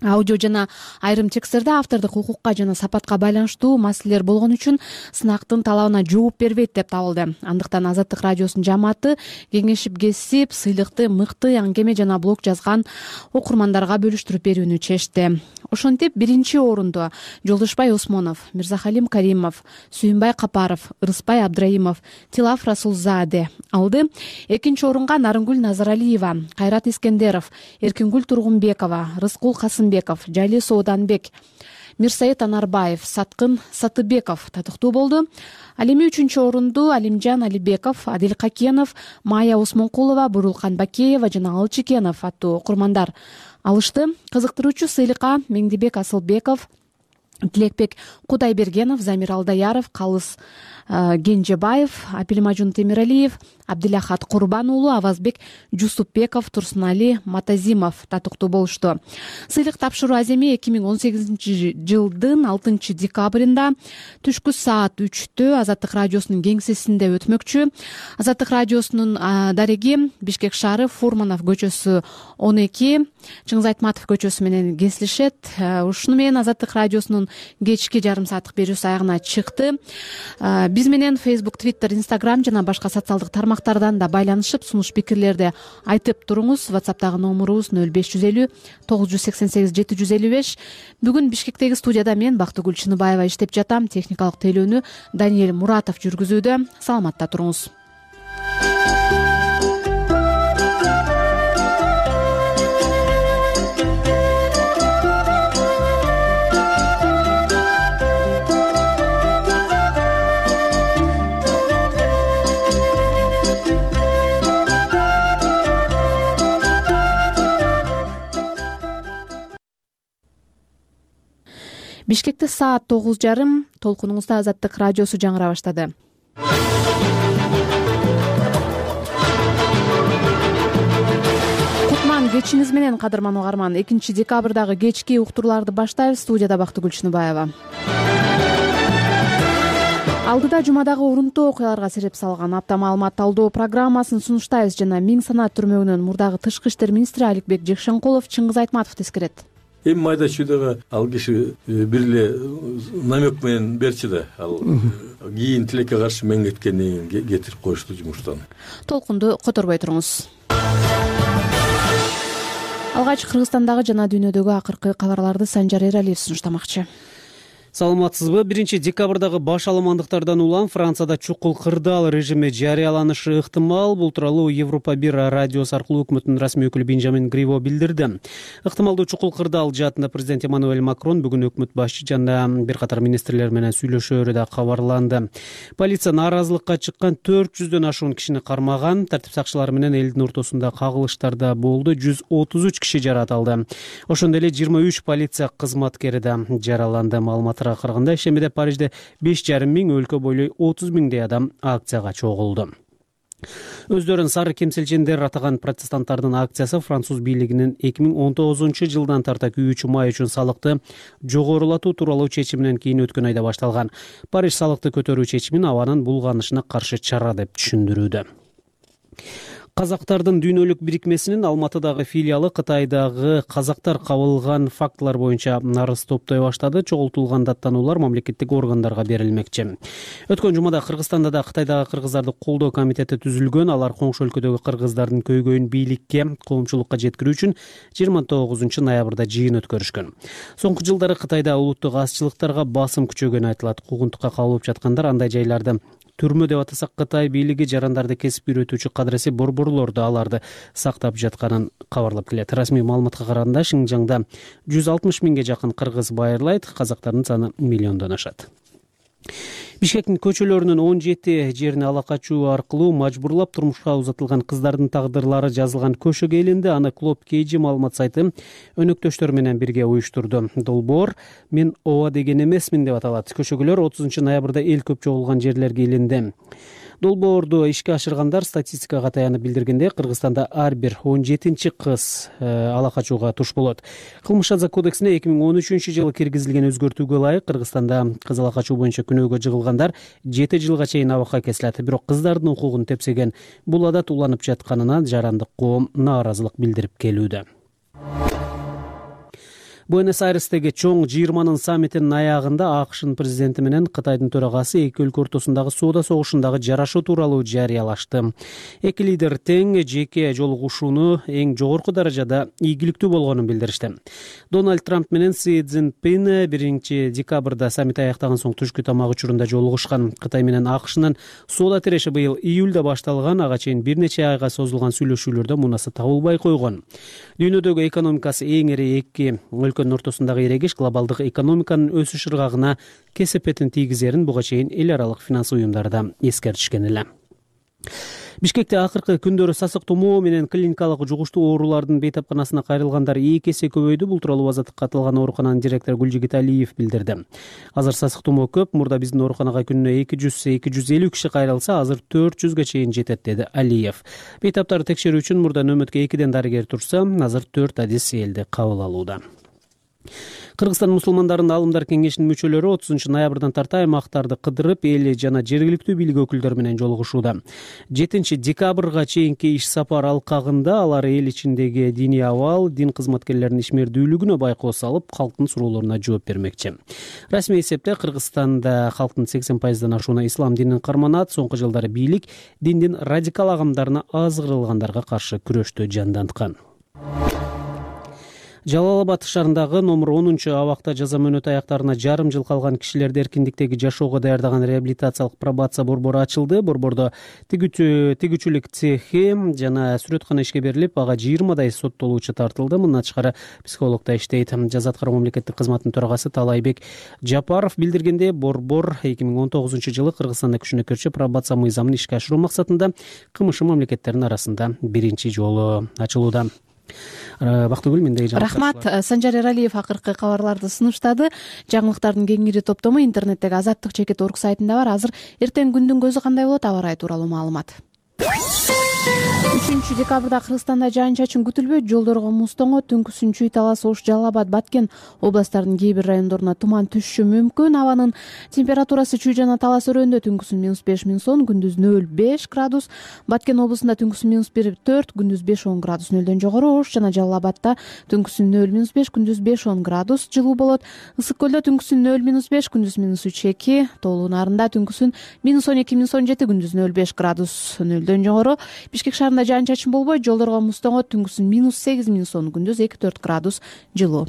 [SPEAKER 1] аудио жана айрым тексттерде автордук укукка жана сапатка байланыштуу маселелер болгон үчүн сынактын талабына жооп бербейт деп табылды. Андыктан Азаттык радиосунун жамааты кеңешип кесип, сыйлыкты мыкты аңгеме жана блог жазган окурмандарга бөлүштүрүп берүүнү чечти. Ошентип, 1-орунду Жолдошбай Осмонов, Мирзахалим Каримов, Сүйүнбай Капаров, Ырыспай Абдрайымов, Тилаф Расулзаде алды. 2-орунга Нарынгүл Назаралиева, Кайрат Искендеров, Эркингүл Тургунбекова, Рыскул Касымбеков, Жайли Сооданбек, Мирсаид Анарбаев, Саткын Сатыбеков татыктуу болду. Ал эми 3-орунду Алимжан Алибеков, Адил Какенов, Майя Осмонкулова, Бурулкан Бакеева жана Алчыкенов аттуу окурмандар алышты. Кызыктыруучу сыйлыкка Меңдибек Асылбеков, Тилекбек Кудайбергенов, Замир Алдаяров, Калыс Генжебаев, Апилмажун Темиралиев, Абдилахат Курбан уулу, Авазбек Жусупбеков, Турсунали Матазимов татыктуу болушту. Сыйлык тапшыруу аземи 2018 жылдын 6 декабрында түшкү саат 3-тө Азаттык радиосунун кеңсесинде өтмөкчү. Азаттык радиосунун дареги Бишкек шаары, Фурманов көчөсү 12, Чыңгыз Айтматов көчөсү менен кесилишет. Ушуну менен Азаттык радиосунун кечки жарым сааттык берүүсү аягына чыкты. Биз менен Facebook, Twitter, Instagram жана башка социалдык тармактар аймактардан да байланышып сунуш пикирлерди айтып туруңуз. WhatsApp'тагы номурубуз 0550 988 755. Бүгүн Бишкектеги студияда мен Бактыгүл Чыныбаева иштеп жатам. Техникалык тейлөөнү Даниэль Муратов жүргүзүүдө. Саламатта туруңуз. Бишкекте саат 9:30. Толкунуңузда Азаттык радиосу жаңыра баштады. Кутман кечиңиз менен, кадырман угарман. 2 декабрдагы кечки уктурууларды баштайбыз. Студияда Бактыгүл Чыныбаева. Алдыда жумадагы урунттуу окуяларга себеп салган апта маалымат талдоо программасын сунуштайбыз жана Миң санаат түрмөгүнөн мурдагы Тышкы иштер министри Аликбек Жекшенкулов Чыңгыз Айтматовду эскерет.
[SPEAKER 9] Эми майда чүйдөгө ал киши бир эле намек менен берчи да, ал кийин тилекке каршы мен кеткенден кийин кетирип коюшту жумуштан.
[SPEAKER 1] Толкунду которбой туруңуз. Алгач Кыргызстандагы жана дүйнөдөгү акыркы кабарларды Санжар Эралиев сунуштамакчы.
[SPEAKER 3] Саламатсызбы? 1 декабрдагы баш аламандыктардан улам Францияда чукул кырдаал режими жарыяланышы ыктымал. Бул тууралуу Европа 1 радиосу аркылуу өкмөттүн расмий өкүлү Бенжамин Гриво билдирди. Ыктымалдуу чукул кырдаал жаатында президент Эммануэль Макрон бүгүн өкмөт башчы жана бир катар министрлер менен сүйлөшөөрү да кабарланды. Полиция нааразылыкка чыккан 400дөн ашуун кишини кармаган. Тартип сакчылары менен элдин ортосунда кагылыштар да болду. 133 киши жарат алды. Ошондой эле 23 полиция кызматкери да жараланды. Маалыматтарга караганда ишемеде Парижде 5,5 миң, өлкө бойлой 30 миңдей адам акцияга чогулду. Өздөрүн сары кемселчендер атаган протестанттардын акциясы француз бийлигинин 2019-жылдан тарта күйүүчү май үчүн салыкты жогорулатуу тууралуу чечиминен кийин өткөн айда башталган. Париж салыкты көтөрүү чечимин абанын булганышына каршы чара деп түшүндүрүүдө. Казактардын дүйнөлүк бирикмесинин Алматыдагы филиалы Кытайдагы казактар кабылган фактылар боюнча нарыз топтой баштады. Чогултулган даттануулар мамлекеттик органдарга берилмекчи. Өткөн жумада Кыргызстанда да Кытайдагы кыргыздарды колдоо комитети түзүлгөн. Алар коңшу өлкөдөгү кыргыздардын көйгөйүн бийликке, коомчулукка жеткирүү үчүн 29 ноябрда жыйын өткөрүшкөн. Соңку жылдары Кытайда улуттук азчылыктарга басым күчөгөнү айтылат. Куугунтукка кабылып жаткандар андай жайларды түрмө деп атасак, Кытай бийлиги жарандарды кесип үйрөтүүчү кадыресе борборлорду аларды сактап жатканын кабарлап келет. Расмий маалыматка караганда Шинжаңда 160 миңге жакын кыргыз байырлайт, казактардын саны миллиондон ашат. Бишкектин көчөлөрүнүн 17 жерине ала качуу аркылуу мажбурлап турмушка узатылган кыздардын тагдырлары жазылган көшөгө илинди. Аны Клоп Кейджи маалымат сайты өнөктөштөр менен бирге уюштурду. Долбоор "Мен ооба деген эмесмин" деп аталат. Көшөгөлөр 30 ноябрда эл көп чогулган жерлерге илинди. Долбоорду ишке ашыргандар статистикага таянып билдиргенде, Кыргызстанда ар бир 17-чи кыз ала качууга туш болот. Кылмыш жаза кодексине 2013-жылы киргизилген өзгөртүүгө ылайык Кыргызстанда кыз ала качуу боюнча күнөөгө жыгылгандар 7 жылга чейин абакка кесилет. Бирок кыздардын укугун тепсеген бул адат уланып жатканына жарандык коом нааразылык билдирип келүүдө. Буэнос-Айрестеги чоң жыйырманын саммитинин аягында АКШнын президенти менен Кытайдын төрагасы эки өлкө ортосундагы соода согушундагы жарашуу тууралуу жарыялашты. Эки лидер тең жеке жолугушууну эң жогорку даражада ийгиликтүү болгонун билдиришти. Дональд Трамп менен Си Цзиньпин 1 декабрда саммит аяктаган соң түшкү тамак учурунда жолугушкан. Кытай менен АКШнын соода тиреши быйыл июлда башталган, ага чейин бир нече айга созулган сүйлөшүүлөрдө мунасы табылбай койгон. Дүйнөдөгү экономикасы эң ири эки өлкөнүн ортосундагы эрегиш глобалдык экономиканын өсүш ыргагына кесепетин тийгизерин буга чейин эл аралык финанс уюмдары да эскертишкен эле. Бишкекте акыркы күндөрү сасык тумоо менен клиникалык жугуштуу оорулардын бейтапканасына кайрылгандар 2 эсе көбөйдү. Бул тууралуу Азаттыкка аталган оорукананын директору Гүлжигит Алиев билдирди. Азыр сасык тумоо көп. Мурда биздин ооруканага күнүнө 200-250 киши кайрылса, азыр 400га чейин жетет, деди Алиев. Бейтаптарды текшерүү үчүн мурда нөмөткө 2 дарыгер турса, азыр 4 адис элди кабыл алууда. Кыргызстан мусулмандарынын аалымдар кеңешинин мүчөлөрү 30 ноябрдан тарта аймактарды кыдырып, эл жана жергиликтүү бийлик өкүлдөрү менен жолугушууда. 7-декабрга чейинки иш сапар алкагында алар эл ичиндеги диний абал, дин кызматкерлеринин ишмердүүлүгүнө байкоо салып, калктын суроолоруна жооп бермекчи. Расмий эсепте Кыргызстанда калктын 80%дан ашууна ислам динин карманат. Соңку жылдары бийлик диндин радикал агымдарына азгырылгандарга каршы күрөштү жанданткан. Жалал Абад шаарындагы номер 10-абакта жаза мөөнөтү аяктарына жарым жыл калган кишилерди эркиндиктеги жашоого даярдаган реабилитациялык пробация борбору ачылды. Борбордо тигүүчүлүк цехи жана сүрөткана ишке берилип, ага 20 соттолуучу тартылды. Мындан тышкары психолог да иштейт. Жаза аткаруу мамлекеттик кызматынын төрагасы Талайбек Жапаров билдиргендей, борбор 2019-жылы Кыргызстанда күчүнө кирчү пробация мыйзамын ишке ашыруу максатында КМШ мамлекеттеринин арасында биринчи жолу ачылууда. Бактыгүл, мендеги
[SPEAKER 1] рахмат. Санжар Эралиев акыркы кабарларды сунуштады. Жаңылыктардын кеңири топтому интернеттеги azattik.org сайтында бар. Азыр эртең күндүн көзү кандай болот, аба ырайы тууралуу маалымат. 3-декабрда Кыргызстанда жаан-чачын күтүлбөйт. Жолдорго муз тоңот. Түнкүсүн Чүй, Талас, Ош, Жалал Абад, Баткен областтарынын кээ бир райондоруна туман түшүшү мүмкүн. Абанын температурасы Чүй жана Талас өрөөндө түнкүсүн -5, -10, күндүз 0-5 градус. Баткен облусунда түнкүсүн -1-4, күндүз 5-10 градус. Нөлдөн жогору Ош жана Жалал Абадта түнкүсүн 0-5, күндүз 5-10 градус жылуу болот. Ысык көлдө түнкүсүн 0-5, күндүз -3-2, Тоолуу Нарында түнкүсүн -12-17, күндүз 0-5 градус. Нөлдөн жогору Бишкек шаарында жаан-чачын болбойт. Жолдорго муз тоңот. Түнкүсүн -8-10, күндүз 2-4 градус жылуу.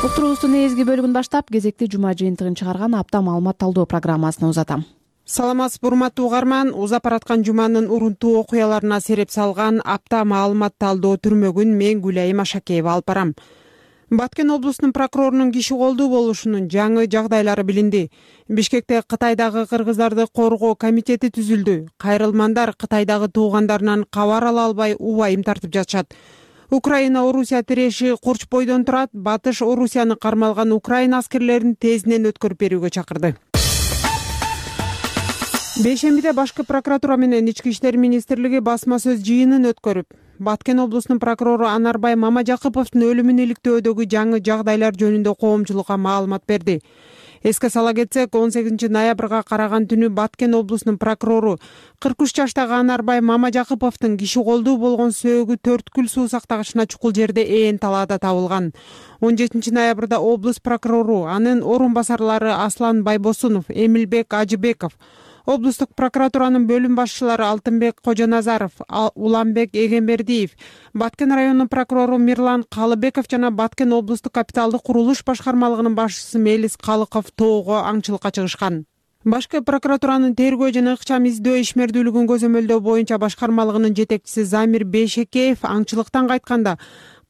[SPEAKER 1] Уктуруубуздун эзги бөлүгүн баштап, кезекти жума жыйынтыгын чыгарган апта маалымат талдоо программасына узатам.
[SPEAKER 10] Саламатсызбы, урматтуу угарман. Узап бараткан жуманын урунтуу окуяларына сереп салган апта маалымат талдоо түрмөгүн мен Гүлайым Ашакеева алып барам. Баткен облусунун прокурорунун киши колдуу болушунун жаңы жагдайлары билинди. Бишкекте Кытайдагы кыргыздарды коргоо комитети түзүлдү. Кайрылмандар Кытайдагы туугандарынан кабар ала албай убайым тартып жатышат. Украина-Орусия тиреши курч бойдон турат. Батыш Орусияны кармалган Украина аскерлерин тезинен өткөрүп берүүгө чакырды. Бейшембиде Башкы прокуратура менен Ички иштер министрлиги басма сөз жыйынын өткөрүп, Баткен облусунун прокурору Анарбай Мамажакыповдун өлүмүн иликтөөдөгү жаңы жагдайлар жөнүндө коомчулукка маалымат берди. Эске сала кетсек, 18 ноябрга караган түнү Баткен облусунун прокурору 43 жаштагы Анарбай Мамажакыповдун киши колдуу болгон сөөгү Төрткүл суу сактагычына чукул жерде ээн талаада табылган. 17 ноябрда облус прокурору, анын орун басарлары Аслан Байбосунов, Эмилбек Ажыбеков, облустук прокуратуранын бөлүм башчылары Алтынбек Кожоназаров, Уланбек Эгембердиев, Баткен районунун прокурору Мирлан Калыбеков жана Баткен облустук капиталдык курулуш башкармалыгынын башчысы Мелис Калыков тоого аңчылыкка чыгышкан. Башкы прокуратуранын тергөө жана ыкчам издөө ишмердүүлүгүн көзөмөлдөө боюнча башкармалыгынын жетекчиси Замир Бейшекеев аңчылыктан кайтканда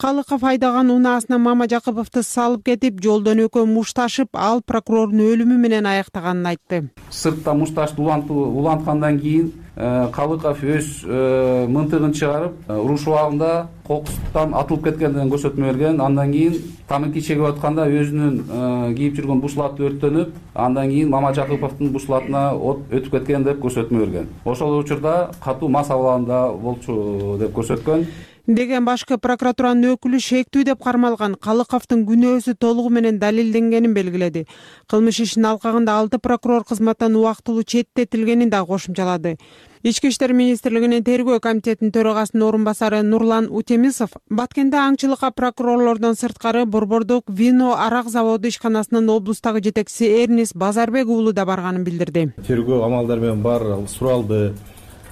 [SPEAKER 10] Калыков айдаган унаасына Мамажакыповду салып кетип, жолдон экөө мушташып, ал прокурордун өлүмү менен аяктаганын айтты.
[SPEAKER 11] Сыртта мушташты уланткандан кийин Калыков өз мынтыгын чыгарып, уруш убагында кокустан атылып кеткендигин көрсөтмө берген. Андан кийин тамаки чегип атканда өзүнүн кийип жүргөн бушлаты өрттөнүп, андан кийин Мамажакыповдун бушлатына от өтүп кеткен деп көрсөтмө берген. Ошол учурда катуу мас абалында болчу деп көрсөткөн.
[SPEAKER 10] Деген Башкы прокуратуранын өкүлү шектүү деп кармалган Калыковдун күнөөсү толугу менен далилденгенин белгиледи. Кылмыш ишинин алкагында 6 прокурор кызматтан убактылуу четтетилгенин да кошумчалады. Ички иштер министрлигинин тергөө комитетинин төрагасынын орун басары Нурлан Утемисов Баткенде аңчылыкка прокурорлордон сырткары Борбордук вино арак заводу ишканасынын облустагы жетекчиси Эрнис Базарбек уулу да барганын билдирди.
[SPEAKER 12] Тергөө амалдары менен баары суралды.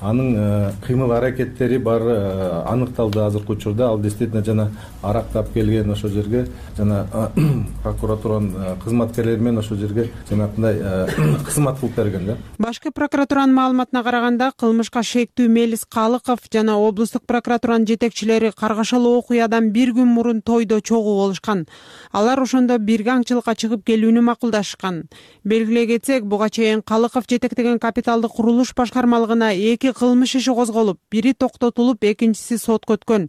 [SPEAKER 12] Анын кыймыл аракеттери баары аныкталды азыркы учурда. Ал действительно жана арактап келген ошол жерге, жана прокуратуранын кызматкерлери менен ошол жерге жанагындай кызмат кылып берген да.
[SPEAKER 10] Башкы прокуратуранын маалыматына караганда, кылмышка шектүү Мелис Калыков жана облустук прокуратуранын жетекчилери каргашалуу окуядан бир күн мурун тойдо чогуу болушкан. Алар ошондо бирге аңчылыкка чыгып келүүнү макулдашкан. Белгилей кетсек, буга чейин Калыков жетектеген капиталдык курулуш башкармалыгына 2 2 кылмыш иши козголуп, бири токтотулуп, экинчиси сотко өткөн.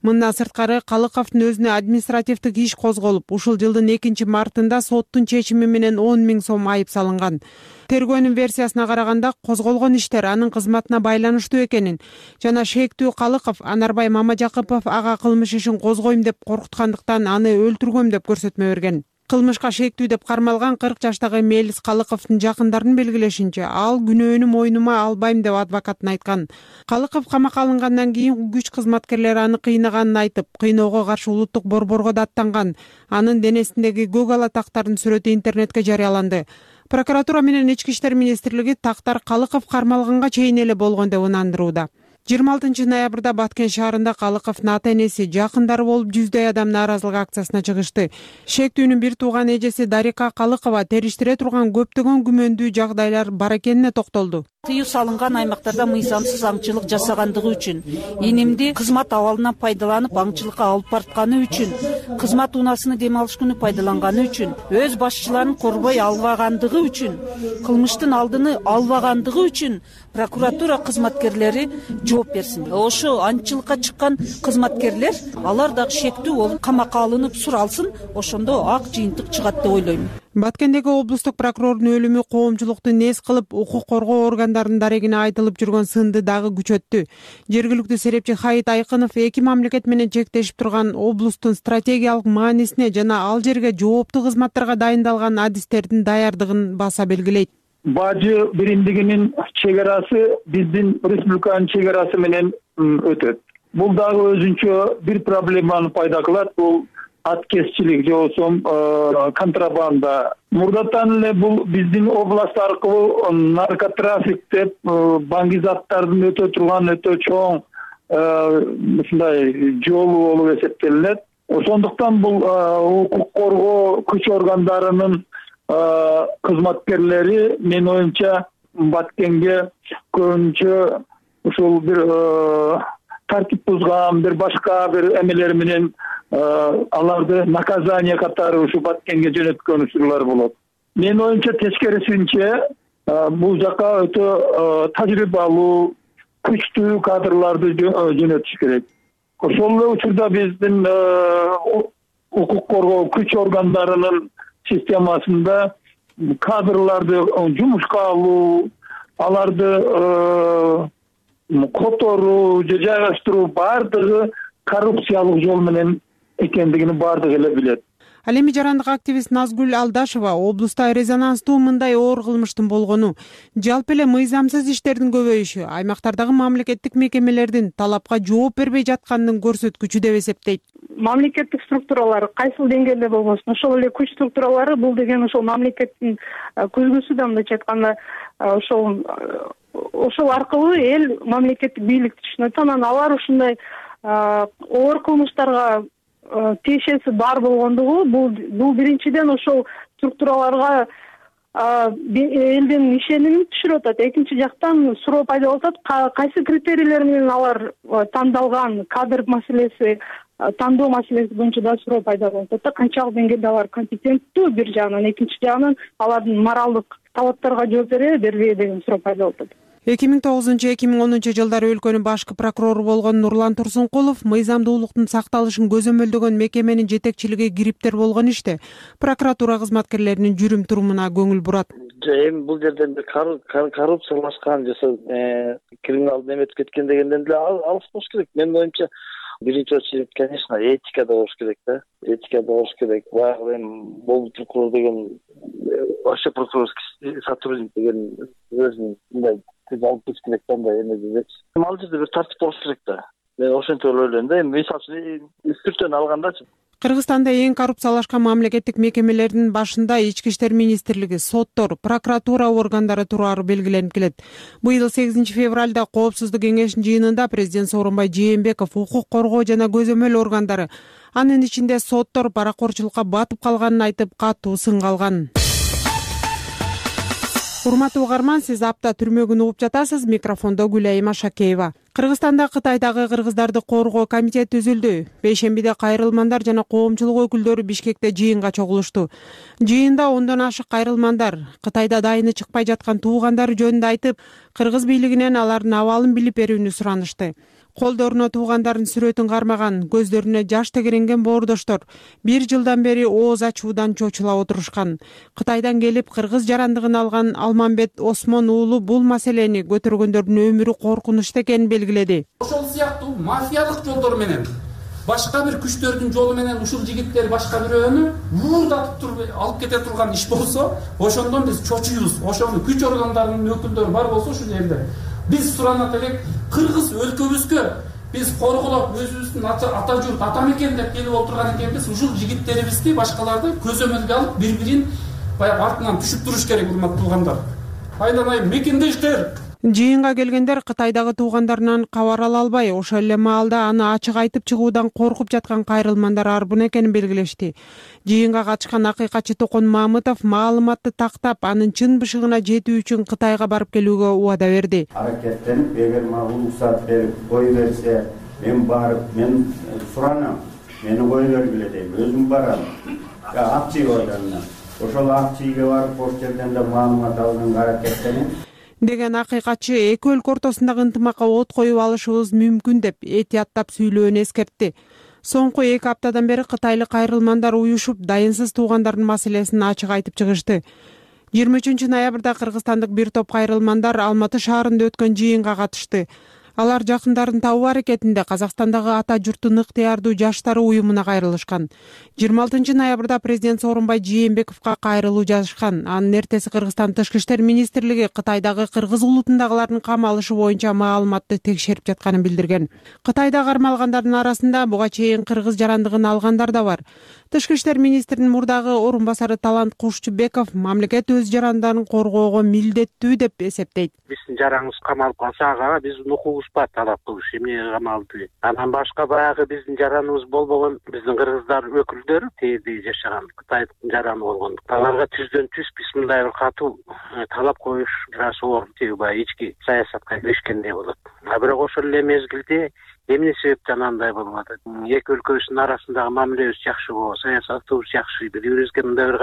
[SPEAKER 10] Мындан сырткары Калыковдун өзүнө административдик иш козголуп, ушул жылдын 2-мартында соттун чечими менен 10 000 сом айып салынган. Тергөөнүн версиясына караганда козголгон иштер анын кызматына байланыштуу экенин жана шектүү Калыков Анарбай Мамажакыпов ага кылмыш ишин козгойм деп коркуткандыктан аны өлтүргөм деп көрсөтмө берген. Кылмышка шектүү деп кармалган 40 жаштагы Мелис Калыковдун жакындарынын белгилешинче, ал күнөөнү мойнума албайм деп адвокатын айткан. Калыков камакка алынгандан кийин күч кызматкерлери аны кыйнаганын айтып, кыйноого каршы улуттук борборго да аттанган. Анын денесиндеги көк ала тактардын сүрөтү интернетке жарыяланды. Прокуратура менен Ички иштер министрлиги тактар Калыков кармалганга чейин эле болгон деп ынандырууда. 26 ноябрда Баткен шаарында Калыковдун ата-энеси, жакындары болуп жүздөй адам нааразылык акциясына чыгышты. Шектүүнүн бир тууган эжеси Дарика Калыкова териштире турган көптөгөн күмөндүү жагдайлар бар экенине токтолду.
[SPEAKER 13] Тыюу салынган аймактарда мыйзамсыз аңчылык жасагандыгы үчүн, инимди кызмат абалынан пайдаланып аңчылыкка алып бартканы үчүн, кызмат унаасыны дем алыш күнү пайдаланганы үчүн, өз башчыларын корбой албагандыгы үчүн, кылмыштын алдыны албагандыгы үчүн прокуратура кызматкерлери жооп берсин. Ошо аңчылыкка чыккан кызматкерлер алар дагы шектүү болуп камакка алынып суралсын, ошондо ак жыйынтык чыгат деп ойлойм.
[SPEAKER 10] Баткендеги облустук прокурордун өлүмү коомчулукту нес кылып, укук коргоо органдарынын дарегине айтылып жүргөн сынды дагы күчөттү. Жергиликтүү серепчи Хайит Айкынов эки мамлекет менен чектешип турган облустун стратегиялык маанисине жана ал жерге жооптуу кызматтарга дайындалган адистердин даярдыгын баса белгилейт.
[SPEAKER 14] Бажы биримдигинин чек биздин республиканын чек менен өтөт. Бул дагы өзүнчө бир проблеманы пайда кылат. Бул аткезчилик же болбосо контрабанда. Мурдатан эле бул биздин област аркылуу наркотрафик деп баңгизаттардын өтө турган өтө чоң ушундай жолу болуп эсептелинет. Ошондуктан бул укук коргоо күч органдарынын кызматкерлери менин оюмча Баткенге көбүнчө ушул бир тартип бузган бир башка бир эмелер менен аларды наказание катары ушу Баткенге жөнөткөн учурлар болот. Менин оюмча тескерисинче бул жака өтө тажрыйбалуу, күчтүү кадрларды жөнөтүш керек. Ошол эле учурда биздин укук коргоо күч органдарынын системасында кадрларды жумушка алуу, аларды которуу же жайгаштыруу баардыгы коррупциялык жол менен экендигин баардыгы эле билет.
[SPEAKER 10] Ал эми жарандык активист Назгүл Алдашева облуста резонанстуу мындай оор кылмыштын болгону, жалпы эле мыйзамсыз иштердин көбөйүшү аймактардагы мамлекеттик мекемелердин талапка жооп бербей жатканынын көрсөткүчү деп эсептейт.
[SPEAKER 15] Мамлекеттик структуралар кайсыл деңгээлде болбосун, ошол эле күч структуралары бул деген ошол мамлекеттин көзгүсү да, мындайча айтканда ошол аркылуу эл мамлекеттик бийликти түшүнөт. Анан алар ушундай оор кылмыштарга тиешеси бар болгондугу бул биринчиден ошол структураларга элдин ишенимин түшүрүп атат. Экинчи жактан суроо пайда болуп атат, кайсы критерийлер менен алар тандалган, кадр маселеси, тандоо маселеси боюнча да суроо пайда болуп атат. Канчалык деңгээлде алар компетенттүү бир жагынан, экинчи жагынан алардын моралдык талаптарга жооп бербейби деген суроо пайда болуп атат.
[SPEAKER 10] 2009-2010 жылдары өлкөнүн башкы прокурору болгон Нурлан Турсункулов мыйзамдуулуктун сакталышын көзөмөлдөгөн мекеменин жетекчилиги кириптер болгон иште прокуратура кызматкерлеринин жүрүм турумуна көңүл бурат.
[SPEAKER 16] Эми бул жерден коррупциялашкан же криминалдын неме өтүп кеткен дегенден деле алыс болуш керек. Менин оюмча биринчи очередь, конечно, этикада болуш керек да. Этикада болуш керек. Баягы эми бул прокурор деген вообще прокурорский сотрудник деген өзүнүн мындай алып кетиш керек да, мындай эме дечи. Ал жерде бир тартип болуш керек да. Мен ошентип ойлойм да. Эми мисалы үчүн үстүртөн алгандачы.
[SPEAKER 10] Кыргызстанда эң коррупциялашкан мамлекеттик мекемелердин башында Ички иштер министрлиги, соттор, прокуратура органдары турары белгиленип келет. Быйыл 8 февралда Коопсуздук кеңешинин жыйынында президент Сооронбай Жээнбеков укук коргоо жана көзөмөл органдары, анын ичинде соттор паракорчулукка батып калганын айтып, катуу сынга алган. урматтуу угарман, сиз апта түрмөгүн угуп жатасыз. Микрофондо Гүлайым Ашакеева. Кыргызстанда Кытайдагы кыргыздарды коргоо комитети түзүлдү. Бейшембиде кайрылмандар жана коомчулук өкүлдөрү Бишкекте жыйынга чогулушту. Жыйында 10дон ашык кайрылмандар Кытайда дайыны чыкпай жаткан туугандары жөнүндө айтып, кыргыз бийлигинен алардын абалын билип берүүнү суранышты. Колдоруна туугандардын сүрөтүн кармаган, көздөрүнө жаш тегеренген боордоштор 1 жылдан бери ооз ачуудан чочула отурушкан. Кытайдан келип кыргыз жарандыгын алган Алмамбет Осмон уулу бул маселени көтөргөндөрдүн өмүрү коркунучтуу экенин белгиледи.
[SPEAKER 11] Ошол сыяктуу мафиялык жолдор менен, башка бир күчтөрдүн жолу менен ушул жигиттер башка бирөөнү уурдатып туруп алып кете турган иш болсо, ошондон биз чочуйбуз. Ошону күч органдарынын өкүлдөрү бар болсо ушул жерде биз суранат элек, кыргыз өлкөбүзгө биз корголоп өзүбүздүн ата журт, ата мекен деп келип отурган экенбиз. Ушул жигиттерибизди, башкаларды көзөмөлгө алып, бири-бирин баягы артынан түшүп туруш керек, урматтуу туугандар. Айланайын мекендештер.
[SPEAKER 10] Жыйынга келгендер Кытайдагы туугандарынан кабар ала албай, ошол эле маалда аны ачык айтып чыгуудан коркуп жаткан кайрылмандар арбын экенин белгилешти. Жыйынга катышкан акыйкатчы Токон Мамытов маалыматты тактап, анын чын бышыгына жетүү үчүн Кытайга барып келүүгө убада берди.
[SPEAKER 17] Аракеттенип, эгер мага уруксат берип кой берсе, мен барып, мен суранам, мени кой бергиле дейм, өзүм барам. Акчы органына. Ошол акчыйга барып, ошол жерден да маалымат алганга аракеттенем
[SPEAKER 10] деген акыйкатчы эки өлкө ортосундагы ынтымакка от коюп алышыбыз мүмкүн деп этияттап сүйлөөнү эскертти. Соңку 2 аптадан бери кытайлык кайрылмандар уюшуп, дайынсыз туугандардын маселесин ачык айтып чыгышты. 23 ноябрда кыргызстандык бир топ кайрылмандар Алматы шаарында өткөн жыйынга катышты. Алар жакындарын табуу аракетинде Казакстандагы ата журттун ыктыярдуу жаштары уюмуна кайрылышкан. 26 ноябрда президент Сооронбай Жээнбековго кайрылуу жазышкан. Анын эртеси Кыргызстан Тышкы иштер министрлиги Кытайдагы кыргыз улутундагылардын камалышы боюнча маалыматты текшерип жатканын билдирген. Кытайда кармалгандардын арасында буга чейин кыргыз жарандыгын алгандар да бар. Тышкы иштер министринин мурдагы орун басары Талант Кушчубеков мамлекет өз жарандарын коргоого милдеттүү деп эсептейт.
[SPEAKER 18] Биздин жараңыбыз камалып калса, ага биздин укугубуз бар талап кылыш, эмне камалды. Анан башка баягы биздин жараныбыз болбогон биздин кыргыздар өкүлдөрү тээде жашаган Кытайдын жараны болгондук. Аларга түздөн түз биз мындай бир катуу талап коюш biraz оор, баягы ички саясатка киришкендей болот. Бирок ошол эле мезгилде эмне себептен андай болуп атат? Эки өлкөбүздүн арасындагы мамилебиз жакшы болот, саясатыбыз жакшы, бири-бирибизге мындай бир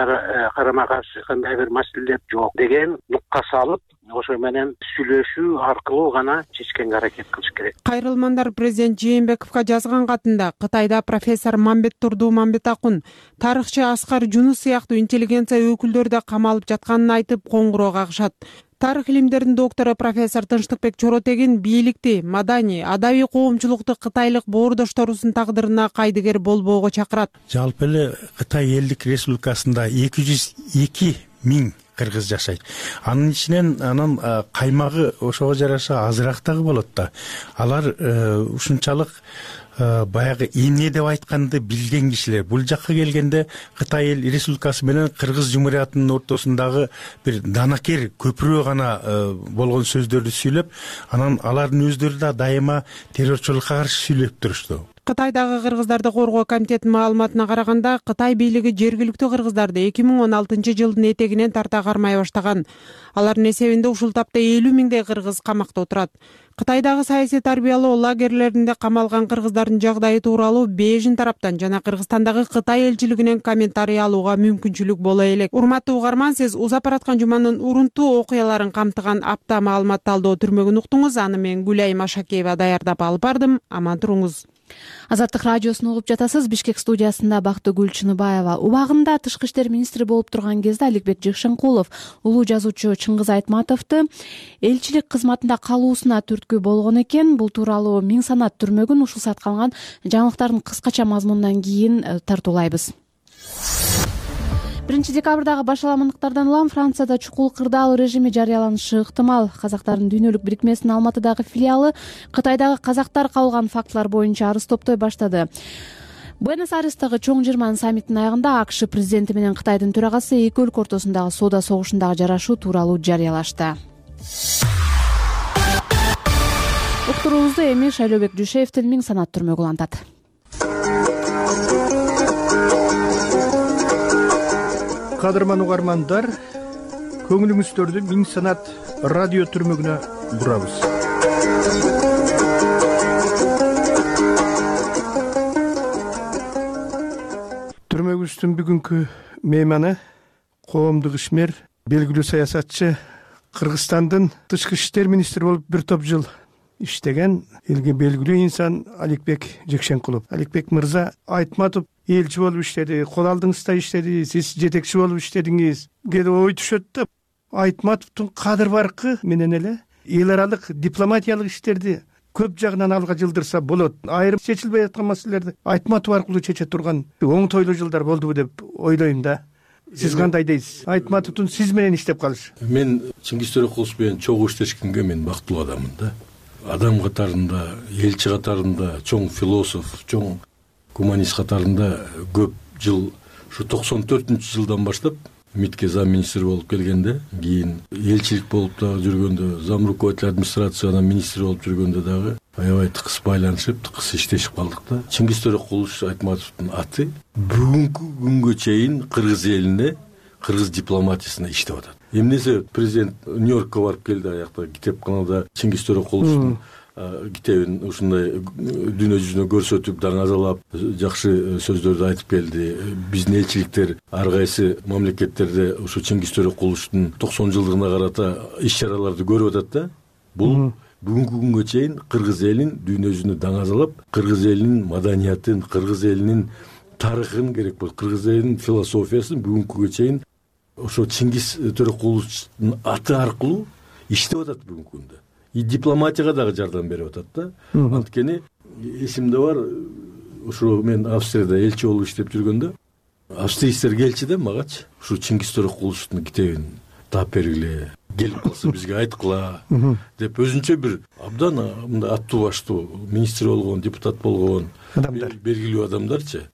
[SPEAKER 18] карама каршы кандай бир маселелер жок деген нукка салып, ошо менен сүйлөшүү аркылуу гана чечкенге аракет кылыш керек.
[SPEAKER 10] Кайрылмандар президент Жээнбековго жазган катында Кытайда профессор Мамбет Турду Мамбетакун, тарыхчы Аскар Жунус сыяктуу интеллигенция өкүлдөрү да камалып жатканын айтып коңгуроо кагышат. Тарых илимдеринин доктору профессор Тынчтыкбек Чоротегин бийликти, маданий, адабий коомчулукту кытайлык боордошторубуздун тагдырына кайдыгер болбоого чакырат.
[SPEAKER 19] Жалпы эле Кытай элдик республикасында 202 000 кыргыз жашайт. Анын ичинен анын каймагы ошого жараша азыраак дагы болот да. Алар ушунчалык баягы эмне деп айтканды билген кишилер. Бул жакка келгенде Кытай эл республикасы менен Кыргыз Жумуриятынын ортосундагы бир данакер көпүрө гана болгон сөздөрдү сүйлөп, анан алардын өздөрү да дайыма террорчулукка каршы сүйлөп турушту.
[SPEAKER 10] Кытайдагы кыргыздарды коргоо комитетинин маалыматына караганда, Кытай бийлиги жергиликтүү кыргыздарды 2016 жылдын этегинен тарта кармай баштаган. Алардын эсебинде ушул тапта 50 000 кыргыз камакта отурат. Кытайдагы саясий тарбиялоо лагерлеринде камалган кыргыздардын жагдайы тууралуу Бейжин тараптан жана Кыргызстандагы Кытай элчилигинен комментарий алууга мүмкүнчүлүк боло элек. Урматтуу угарман, сиз узап бараткан жуманын урунтуу окуяларын камтыган апта маалымат талдоо түрмөгүн уктуңуз. Аны мен Гүлайым Ашакеева даярдап алып бардым. Аман туруңуз.
[SPEAKER 1] Азаттык радиосун угуп жатасыз. Бишкек студиясында Бактыгүл Чыныбаева. Убагында тышкы иштер министри болуп турган кезде Аликбек Жыкшенкулов улуу жазуучу Чыңгыз Айтматовду элчилик кызматында калуусуна түрткү болгон экен. Бул тууралуу Миң санат түрмөгүн ушул саат калган жаңылыктардын кыскача мазмунунан кийин тартуулайбыз. 1 декабрдагы башаламандыктардан улам Францияда чукул кырдаал режими жарыяланышы ыктымал. Казактардын дүйнөлүк бирикмесинин Алматыдагы филиалы Кытайдагы казактар кабылган фактылар боюнча арыз топтой баштады. Буэнос-Айрестагы чоң жыйырманын саммитинин аягында АКШ президенти менен Кытайдын төрагасы эки өлкө ортосундагы соода согушундагы жарашуу тууралуу жарыялашты. Уктуруубузду эми Шайлообек Жушеевдин Миң санат түрмөгү улантат.
[SPEAKER 20] Кадырман угармандар, көңүлүңүздөрдү Миң санат радио түрмөгүнө бурабыз. Түрмөгүбүздүн бүгүнкү мейманы коомдук ишмер, белгилүү саясатчы, Кыргызстандын тышкы иштер министри болуп бир топ жыл иштеген элге белгилүү инсан Аликбек Жекшенкулов. Аликбек мырза, Айтматов элчи болуп иштеди, кол алдыңызда иштеди, сиз жетекчи болуп иштедиңиз. Кээде ой түшөт да, Айтматовдун кадыр баркы менен эле эл аралык дипломатиялык иштерди көп жагынан алга жылдырса болот. Айрым чечилбей аткан маселелерди Айтматов аркылуу чече турган оңтойлуу жылдар болдубу деп ойлойм да. Сиз кандай дейсиз? Айтматовдун сиз менен иштеп калышы.
[SPEAKER 9] Мен Чыңгыз Төрекулов менен чогуу иштешкенге мен бактылуу адаммын да. Адам катарында, элчи катарында, чоң философ, чоң гуманист катарында көп жыл, ушу 94-жылдан баштап МИДке зам министр болуп келгенде, кийин элчилик болуп дагы жүргөндө, зам руководитель администрациядан министр болуп жүргөндө дагы аябай тыкыз байланышып, тыкыз иштешип калдык да. Чыңгыз Төрекулов Айтматовдун аты бүгүнкү күнгө чейин кыргыз элине, кыргыз дипломатиясына иштеп атат. Эмнесе президент Нью-Йоркко барып келди, аякта китепканада Чыңгыз Төрекуловдун китебин ушундай дүйнө жүзүнө көрсөтүп, даңазалап, жакшы сөздөрдү айтып келди. Биздин элчиликтер ар кайсы мамлекеттерде ушу Чыңгыз Төрекуловдун 90 жылдыгына карата иш-чараларды көрүп атат да. Бул бүгүнкү күнгө чейин кыргыз элин дүйнө жүзүнө даңазалап, кыргыз элинин маданиятын, кыргыз элинин тарыхын керек болот, кыргыз элинин философиясын бүгүнкү күнгө чейин ошо Чыңгыз Төрекуловдун аты аркылуу иштеп атат бүгүнкү күндө. И дипломатияга дагы жардам берип атат да. Анткени эсимде бар, ушу мен Австрияда элчи болуп иштеп жүргөндө, австриецтер келчи да магачы, ушу Чыңгыз Төрекуловдун китебин таап бергиле, келип калса бизге айткыла деп өзүнчө бир абдан мындай аттуу баштуу министр болгон, депутат болгон адамдар, белгилүү адамдарчы.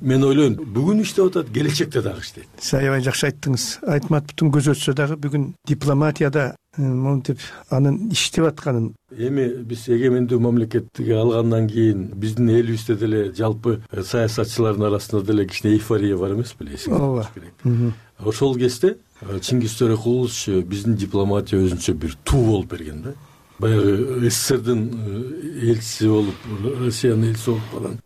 [SPEAKER 9] Мен ойлойм, бүгүн иштеп атат, келечекте дагы иштейт.
[SPEAKER 20] Сиз аябай жакшы айттыңыз. Айтматовдун көзү өтсө дагы бүгүн дипломатияда монтип анын иштеп атканын.
[SPEAKER 9] Эми биз эгемендүү мамлекетти алгандан кийин биздин элибизде деле жалпы саясатчылардын арасында деле кичине эйфория бар эмес беле?
[SPEAKER 20] Ооба.
[SPEAKER 9] Ошол кезде Чыңгыз Төрекулов биздин дипломатия өзүнчө бир туу болуп берген да. Баягы СССРдин элчиси болуп, Россиянын элчиси болуп калган.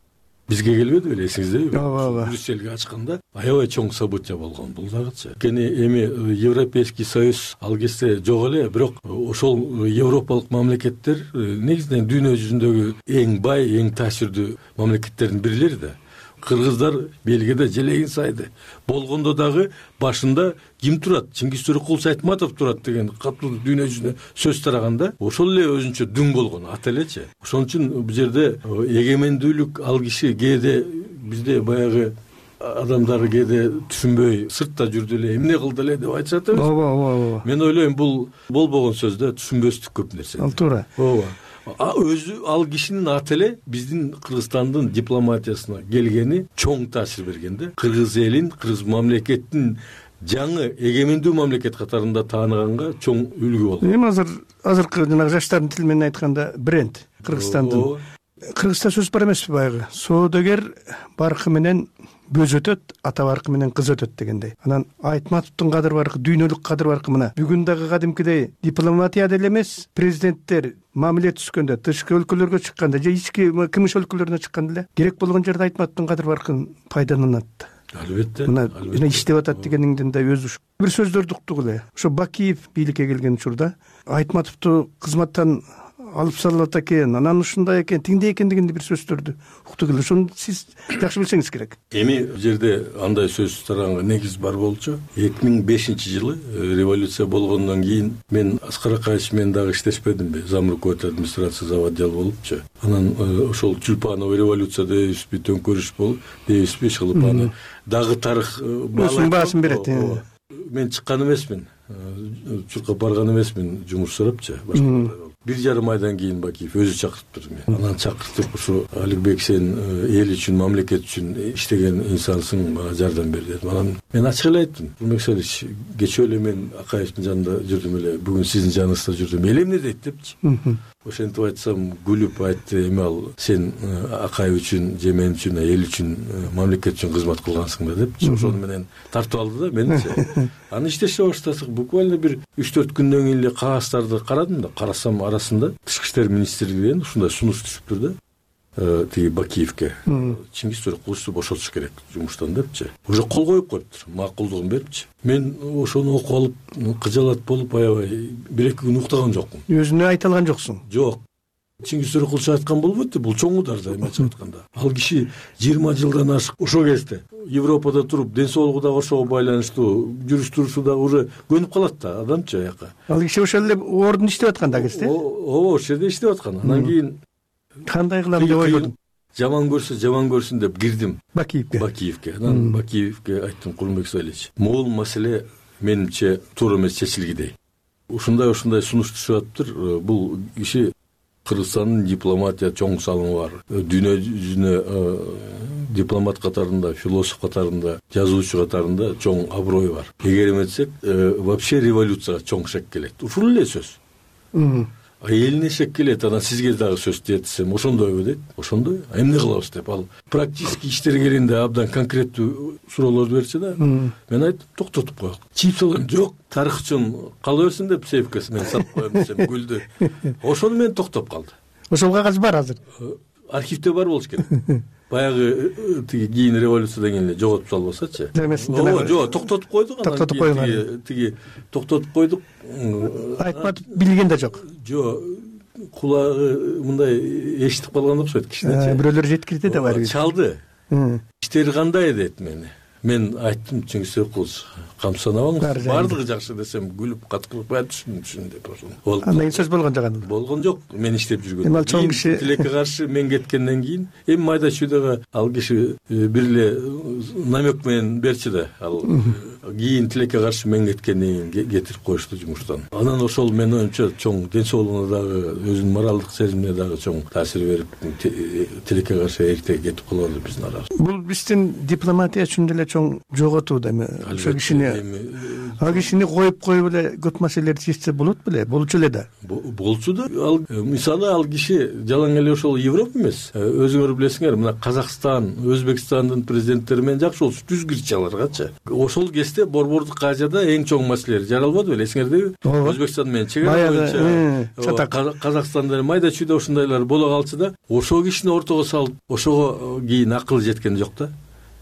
[SPEAKER 9] Бизге келбеди беле, эсиңиздеби?
[SPEAKER 20] Ооба.
[SPEAKER 9] Брюссельге ачканда аябай чоң события болгон бул дагычы. Кени эми Европейский союз ал кезде жок эле, бирок ошол европалык мамлекеттер негизинен дүйнө жүзүндөгү эң бай, эң таасирдүү мамлекеттердин бирлери да. Кыргыздар Бельгияда желегин сайды. Болгондо дагы башында ким турат? Чыңгыз Төрекулов Айтматов турат деген катуу дүйнө жүзүнө сөз тараганда, ошол эле өзүнчө дүң болгон ат элечи. Ошон үчүн бул жерде эгемендүүлүк ал киши кээде бизде баягы адамдар кээде түшүнбөй сыртта жүрдү эле, эмне кылды эле деп айтышат эмес.
[SPEAKER 20] Ооба.
[SPEAKER 9] Мен ойлойм, бул болбогон сөз да, түшүнбөстүк көп нерсе.
[SPEAKER 20] Ал туура.
[SPEAKER 9] Ооба. Өзү ал кишинин аты эле биздин Кыргызстандын дипломатиясына келгени чоң таасир берген да. Кыргыз элин, кыргыз мамлекеттин жаңы эгемендүү мамлекет катарында тааныганга чоң үлгү болду.
[SPEAKER 20] Эми азыркы жанагы жаштардын тили менен айтканда бренд Кыргызстандын. Кыргызда сөз бар эмеспи баягы? Соодагер баркы менен бөз өтөт, ата баркы менен кыз өтөт дегендей. Анан Айтматовдун кадыр баркы, дүйнөлүк кадыр баркы мына. Бүгүн дагы кадимкидей дипломатияда эле эмес, президенттер мамиле түзгөндө, тышкы өлкөлөргө чыкканда же ички кымыш өлкөлөрүнө чыкканда эле керек болгон жерде Айтматовдун кадыр баркын пайдаланат.
[SPEAKER 9] Албетте.
[SPEAKER 20] Мына иштеп атат дегениңден да өзү бир сөздөрдү уктук эле. Ошо Бакиев бийликке келген учурда Айтматовду кызматтан алып салат экен, анан ушундай экен, тиңдей экен дегенде бир сөздөрдү уктук эле. Ошону сиз жакшы билсеңиз керек.
[SPEAKER 9] Эми бул жерде андай сөз тараганга негиз бар болчу. 2005-жылы революция болгондон кийин мен Аскар Акаевич менен дагы иштешпедимби? Зам руководитель администрация заводдел болупчу. Анан ошол Чулпанова революция дейбизби, төңкөрүш болуп дейбизби, Шылыпаны дагы тарых
[SPEAKER 20] баасын берет.
[SPEAKER 9] Мен чыккан эмесмин, чуркап барган эмесмин, жумуш сурапчы. 1,5 айдан кийин Бакиев өзү чакырттырды мени. Анан чакыртып, ушу Аликбек, сен эл үчүн, мамлекет үчүн иштеген инсансың, мага жардам бер деди. Анан мен ачык эле айттым. Турмек Салич, кечээ эле мен Акаевдин жанында жүрдүм эле, бүгүн сиздин жаныңызда жүрдүм. Эл эмне дейт депчи. Ошентип айтсам, күлүп айтты, эми ал сен Акаев үчүн, же мен үчүн, эл үчүн, мамлекет үчүн кызмат кылгансың да депчи. Ошону менен тартып алды да меничи. Аны иштеше баштасак, буквально бир 3-4 күндөн кийин эле кагаздарды карадым да, карасам арасында Тышкы иштер министрлигинен ушундай сунуш түшүптүр да. Тиги Бакиевке Чингиз Төрөкуловду бошотуш керек жумуштан депчи. Уже кол коюп коюптур, макулдугун берипчи. Мен ошону окуп алып, кыжалат болуп аябай 1-2 күн уктаган жокмун.
[SPEAKER 20] Өзүнө айта алган жоксуң?
[SPEAKER 9] Жок. Чингиз Төрөкулов айткан болбойт да, бул чоң удар да, эмне айтканда. Ал киши 20 жылдан ашык ошо кезде Европада туруп, ден соолугу да ошого байланыштуу, жүрүш турушу да уже көнүп калат да адамчы аяка.
[SPEAKER 20] Ал киши ошол эле ордун иштеп аткан да кезде.
[SPEAKER 9] Ооба, ошол жерде иштеп аткан. Анан кийин
[SPEAKER 20] кандай кылам деп ойладым.
[SPEAKER 9] Жаман көрсүн деп кирдим
[SPEAKER 20] Бакиевке.
[SPEAKER 9] Анан Бакиевке айттым, Курманбек Салич, могул маселе менимче туура эмес чечилгидей. Ушундай сунуш түшүп атыптыр. Бул киши Кыргызстандын дипломатия чоң салымы бар. Дүйнө жүзүнө дипломат катарында, философ катарында, жазуучу катарында чоң аброю бар. Эгер эметсек, вообще революцияга чоң шек келет. Ушул эле сөз. Элине шек келет, анан сизге дагы сөз жетсем, ошондойбу дейт. Ошондой. Эмне кылабыз деп, ал практически иштерге келгенде абдан конкреттүү суроолорду берчи да. Мен айттым, токтотуп коелук. Чийип салган жок, тарых үчүн кала берсин деп сейфкеси мен сатып коем десем күлдү. Ошону менен токтоп калды.
[SPEAKER 20] Ошол кагаз бар азыр.
[SPEAKER 9] Архивде бар болуш керек. Баягы тиги кийин революциядан кийин эле жоготуп салбасачы. Жок, токтотуп койдук.
[SPEAKER 20] Токтотуп койгон.
[SPEAKER 9] Тиги токтотуп койдук.
[SPEAKER 20] Айтматып билген да жок.
[SPEAKER 9] Жок. Кулагы мындай эшитип калган окшойт кичинечи.
[SPEAKER 20] Бирөөлөр жеткирди да бар.
[SPEAKER 9] Чалды. Иштери кандай дейт мени. Мен айттым, Чингиз Төрөкулов, камсанабаңыз, бардыгы жакшы десем, күлүп каткылып түшүн деп ошону.
[SPEAKER 20] Андан кийин сөз болгон жок.
[SPEAKER 9] Болгон жок, мен иштеп жүргөн.
[SPEAKER 20] Эми ал чоң киши
[SPEAKER 9] тилекке каршы мен кеткенден кийин, эми майда чүйдөгө ал киши бир эле намек менен берчи да, ал кийин тилекке каршы мен кеткенден кийин кетирип коюшту жумуштан. Анан ошол менин оюмча чоң ден соолугуна дагы, өзүнүн моралдык сезимине дагы чоң таасир берип, тилекке каршы эрте кетип каларды биздин арабыз.
[SPEAKER 20] Бул биздин дипломатия үчүн деле чоң жоготуу да эми. Ошо кишини коюп эле көп маселелерди чечсе болот беле, болчу эле да.
[SPEAKER 9] Болчу да. Ал мисалы ал киши жалаң эле ошол Европа эмес. Өзүңөр билесиңер, мына Казакстан, Өзбекстандын президенттери менен жакшы болчу, түзгүрчү аларгачы. Ошол кезде Борбордук кажада эң чоң маселелер жаралбады беле, эсиңердеби? Өзбекстан менен чегара боюнча Казакстанда майда чүйдө ушундайлар боло калчу да, ошол кишини ортого салып, ошого кийин акыл жеткен жок да.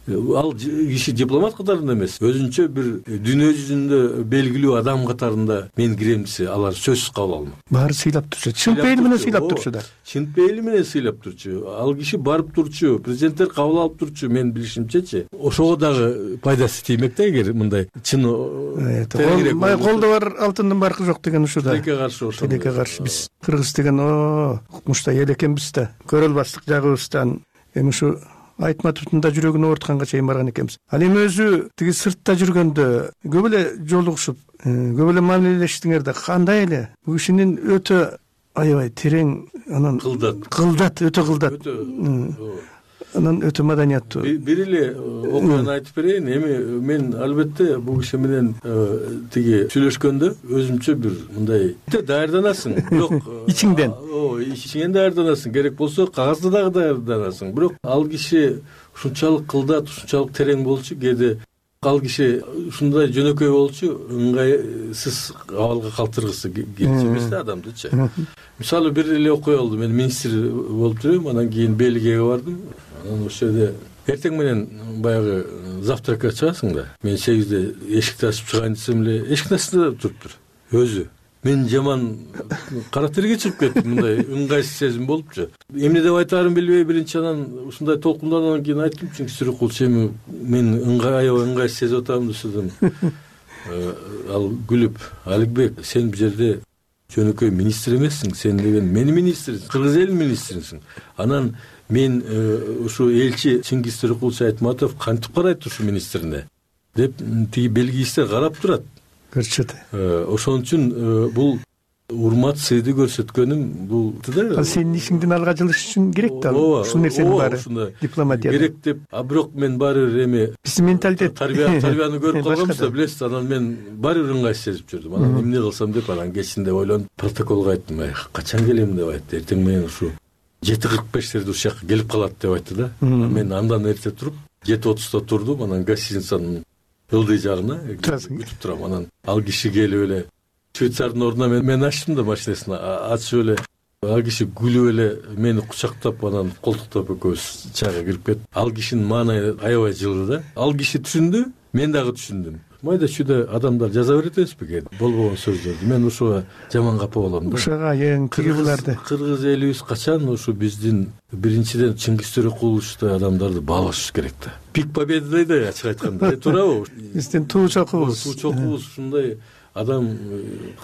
[SPEAKER 9] Ал киши дипломат катарында эмес, өзүнчө бир дүйнө жүзүндө белгилүү адам катарында мен кирем десе, алар сөзсүз кабыл алмак.
[SPEAKER 20] Баары сыйлап турчу, чын пейили менен сыйлап турчу да.
[SPEAKER 9] Чын пейили менен сыйлап турчу. Ал киши барып турчу, президенттер кабыл алып турчу, мен билишимчечи. Ошого дагы пайдасы тиймек да, эгер мындай чын
[SPEAKER 20] колдо бар алтындын баркы жок деген ушул да.
[SPEAKER 9] Тилекке каршы ошол.
[SPEAKER 20] Тилекке каршы биз кыргыз деген укмуштай эл экенбиз да. Көрө албастык жагыбыздан эми ушу Айтматовдун да жүрөгүн оорутканга чейин барган экенбиз. Ал эми өзү тиги сыртта жүргөндө көп эле жолугушуп, көп эле мамилелештиңер да, кандай эле бул кишинин өтө аябай терең, анан кылдат, өтө кылдат. Анан өтө маданияттуу.
[SPEAKER 9] Бир эле окуяны айтып берейин. Эми мен албетте бул киши менен тиги сүйлөшкөндө өзүмчө бир мындай даярданасың, бирок
[SPEAKER 20] ичиңден.
[SPEAKER 9] Ичиңден даярданасың, керек болсо кагазды дагы даярданасың. Бирок ал киши ушунчалык кылдат, ушунчалык терең болчу, кээде ал киши ушундай жөнөкөй болчу, ыңгайсыз абалга калтыргысы келчү эмес да адамдычы. Мисалы бир эле окуя болду. Мен министр болуп жүрөм, анан кийин Бельгияга бардым. Анан ошол жерде эртең менен баягы завтракка чыгасың да. Мен 8-де эшикти ачып чыгайын десем эле, эшиктин астында туруптур. Өзү. Мен жаман кара терге чыгып кеттим, мындай ыңгайсыз сезим болупчу. Эмне деп айтаарымды билбей, биринчи анан ушундай толкундандан кийин айттым, Чингиз Төрөкулов, эми мен аябай ыңгайсыз сезип атам десем. Ал күлүп, Аликбек, сен бул жерде жөнөкөй министр эмессиң, сен деген менин министрисиң, кыргыз элинин министрисиң. Анан мен ушу элчи Чингиз Төрөкулов Айтматов кантип карайт ушу министрине деп тиги белгистер карап турат.
[SPEAKER 20] Көрчү да.
[SPEAKER 9] Ошон үчүн бул урмат сыйды көрсөткөнүм бул да
[SPEAKER 20] сенин ишиңдин алга жылыш үчүн керек да ушул нерсенин баары дипломатияда
[SPEAKER 9] керек деп. А бирок мен баары бир эме
[SPEAKER 20] биздин менталитет
[SPEAKER 9] тарбияны көрүп калганбыз да, билесиз. Анан мен баары бир ыңгайсыз сезип жүрдүм. Анан эмне кылсам деп анан кечинде ойлонуп протоколго айттым. Качан келем деп айтты. Эртең менен ушу 7:45 ушул жака келип калат деп айтты да. Мен андан эрте туруп 7:30 турдум. Анан гостиницанын ылдый жагына күтүп турам. Анан ал киши келип эле швейцардын ордуна мен ачтым да машинесин ачып эле ал киши күлүп эле мени кучактап анан колтуктап экөөбүз чайга кирип кеттик. Ал кишинин маанайы аябай жылды да. Ал киши түшүндү, мен дагы түшүндүм. Майда чүйдө адамдар жаза берет эмеспи экен болбогон сөздөрдү. Мен ушуга жаман капа болом да.
[SPEAKER 20] Ушуга тиги буларды
[SPEAKER 9] кыргыз элибиз качан ушу биздин биринчиден Чыңгыз Төрөкуловичтой адамдарды баалашыбыз керек да. Пик победы дейт ачык айтканда. Туурабы?
[SPEAKER 20] Биздин туу чокубуз
[SPEAKER 9] ушундай адам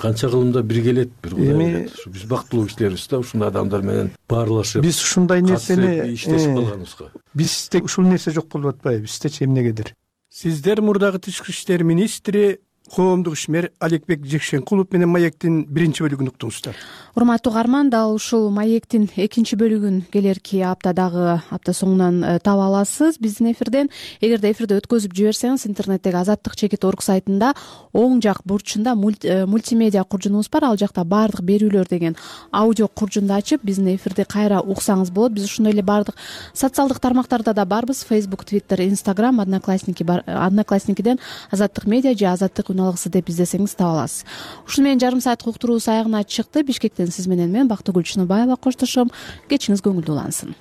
[SPEAKER 9] канча кылымда биргелет бир Кудай. Биз бактылуу кишилербиз да, ушундай адамдар менен баарлашып.
[SPEAKER 20] Биз ушундай нерсени
[SPEAKER 9] иштешип калганыбызга.
[SPEAKER 20] Бизде ушул нерсе жок болуп атпайбы? Биздечи эмнегедир? Сиздер мурдагы Тышкы иштер министри коомдук ишмер Аликбек Жекшенкулов менен Маектин биринчи бөлүгүн уктуңуздар.
[SPEAKER 1] Урматтуу угарман, дал ушул Маектин экинчи бөлүгүн келерки аптадагы апта соңунан таба аласыз биздин эфирден. Эгерде эфирди өткөзүп жиберсеңиз, интернеттеги azattik.org сайтында оң жак бурчунда мультимедиа куржунубуз бар. Ал жакта баардык берүүлөр деген аудио куржунду ачып, биздин эфирди кайра уксаңыз болот. Биз ошондой эле баардык социалдык тармактарда да барбыз. Facebook, Twitter, Instagram, Одноклассникиден Азаттык медиа же Азаттык алгысы деп издесеңиз таба аласыз. Ушуну менен жарым саат уктуруубуз аягына чыкты. Бишкектен сиз менен мен Бактыгүл Чыныбаева коштошом. Кечиңиз көңүлдүү улансын.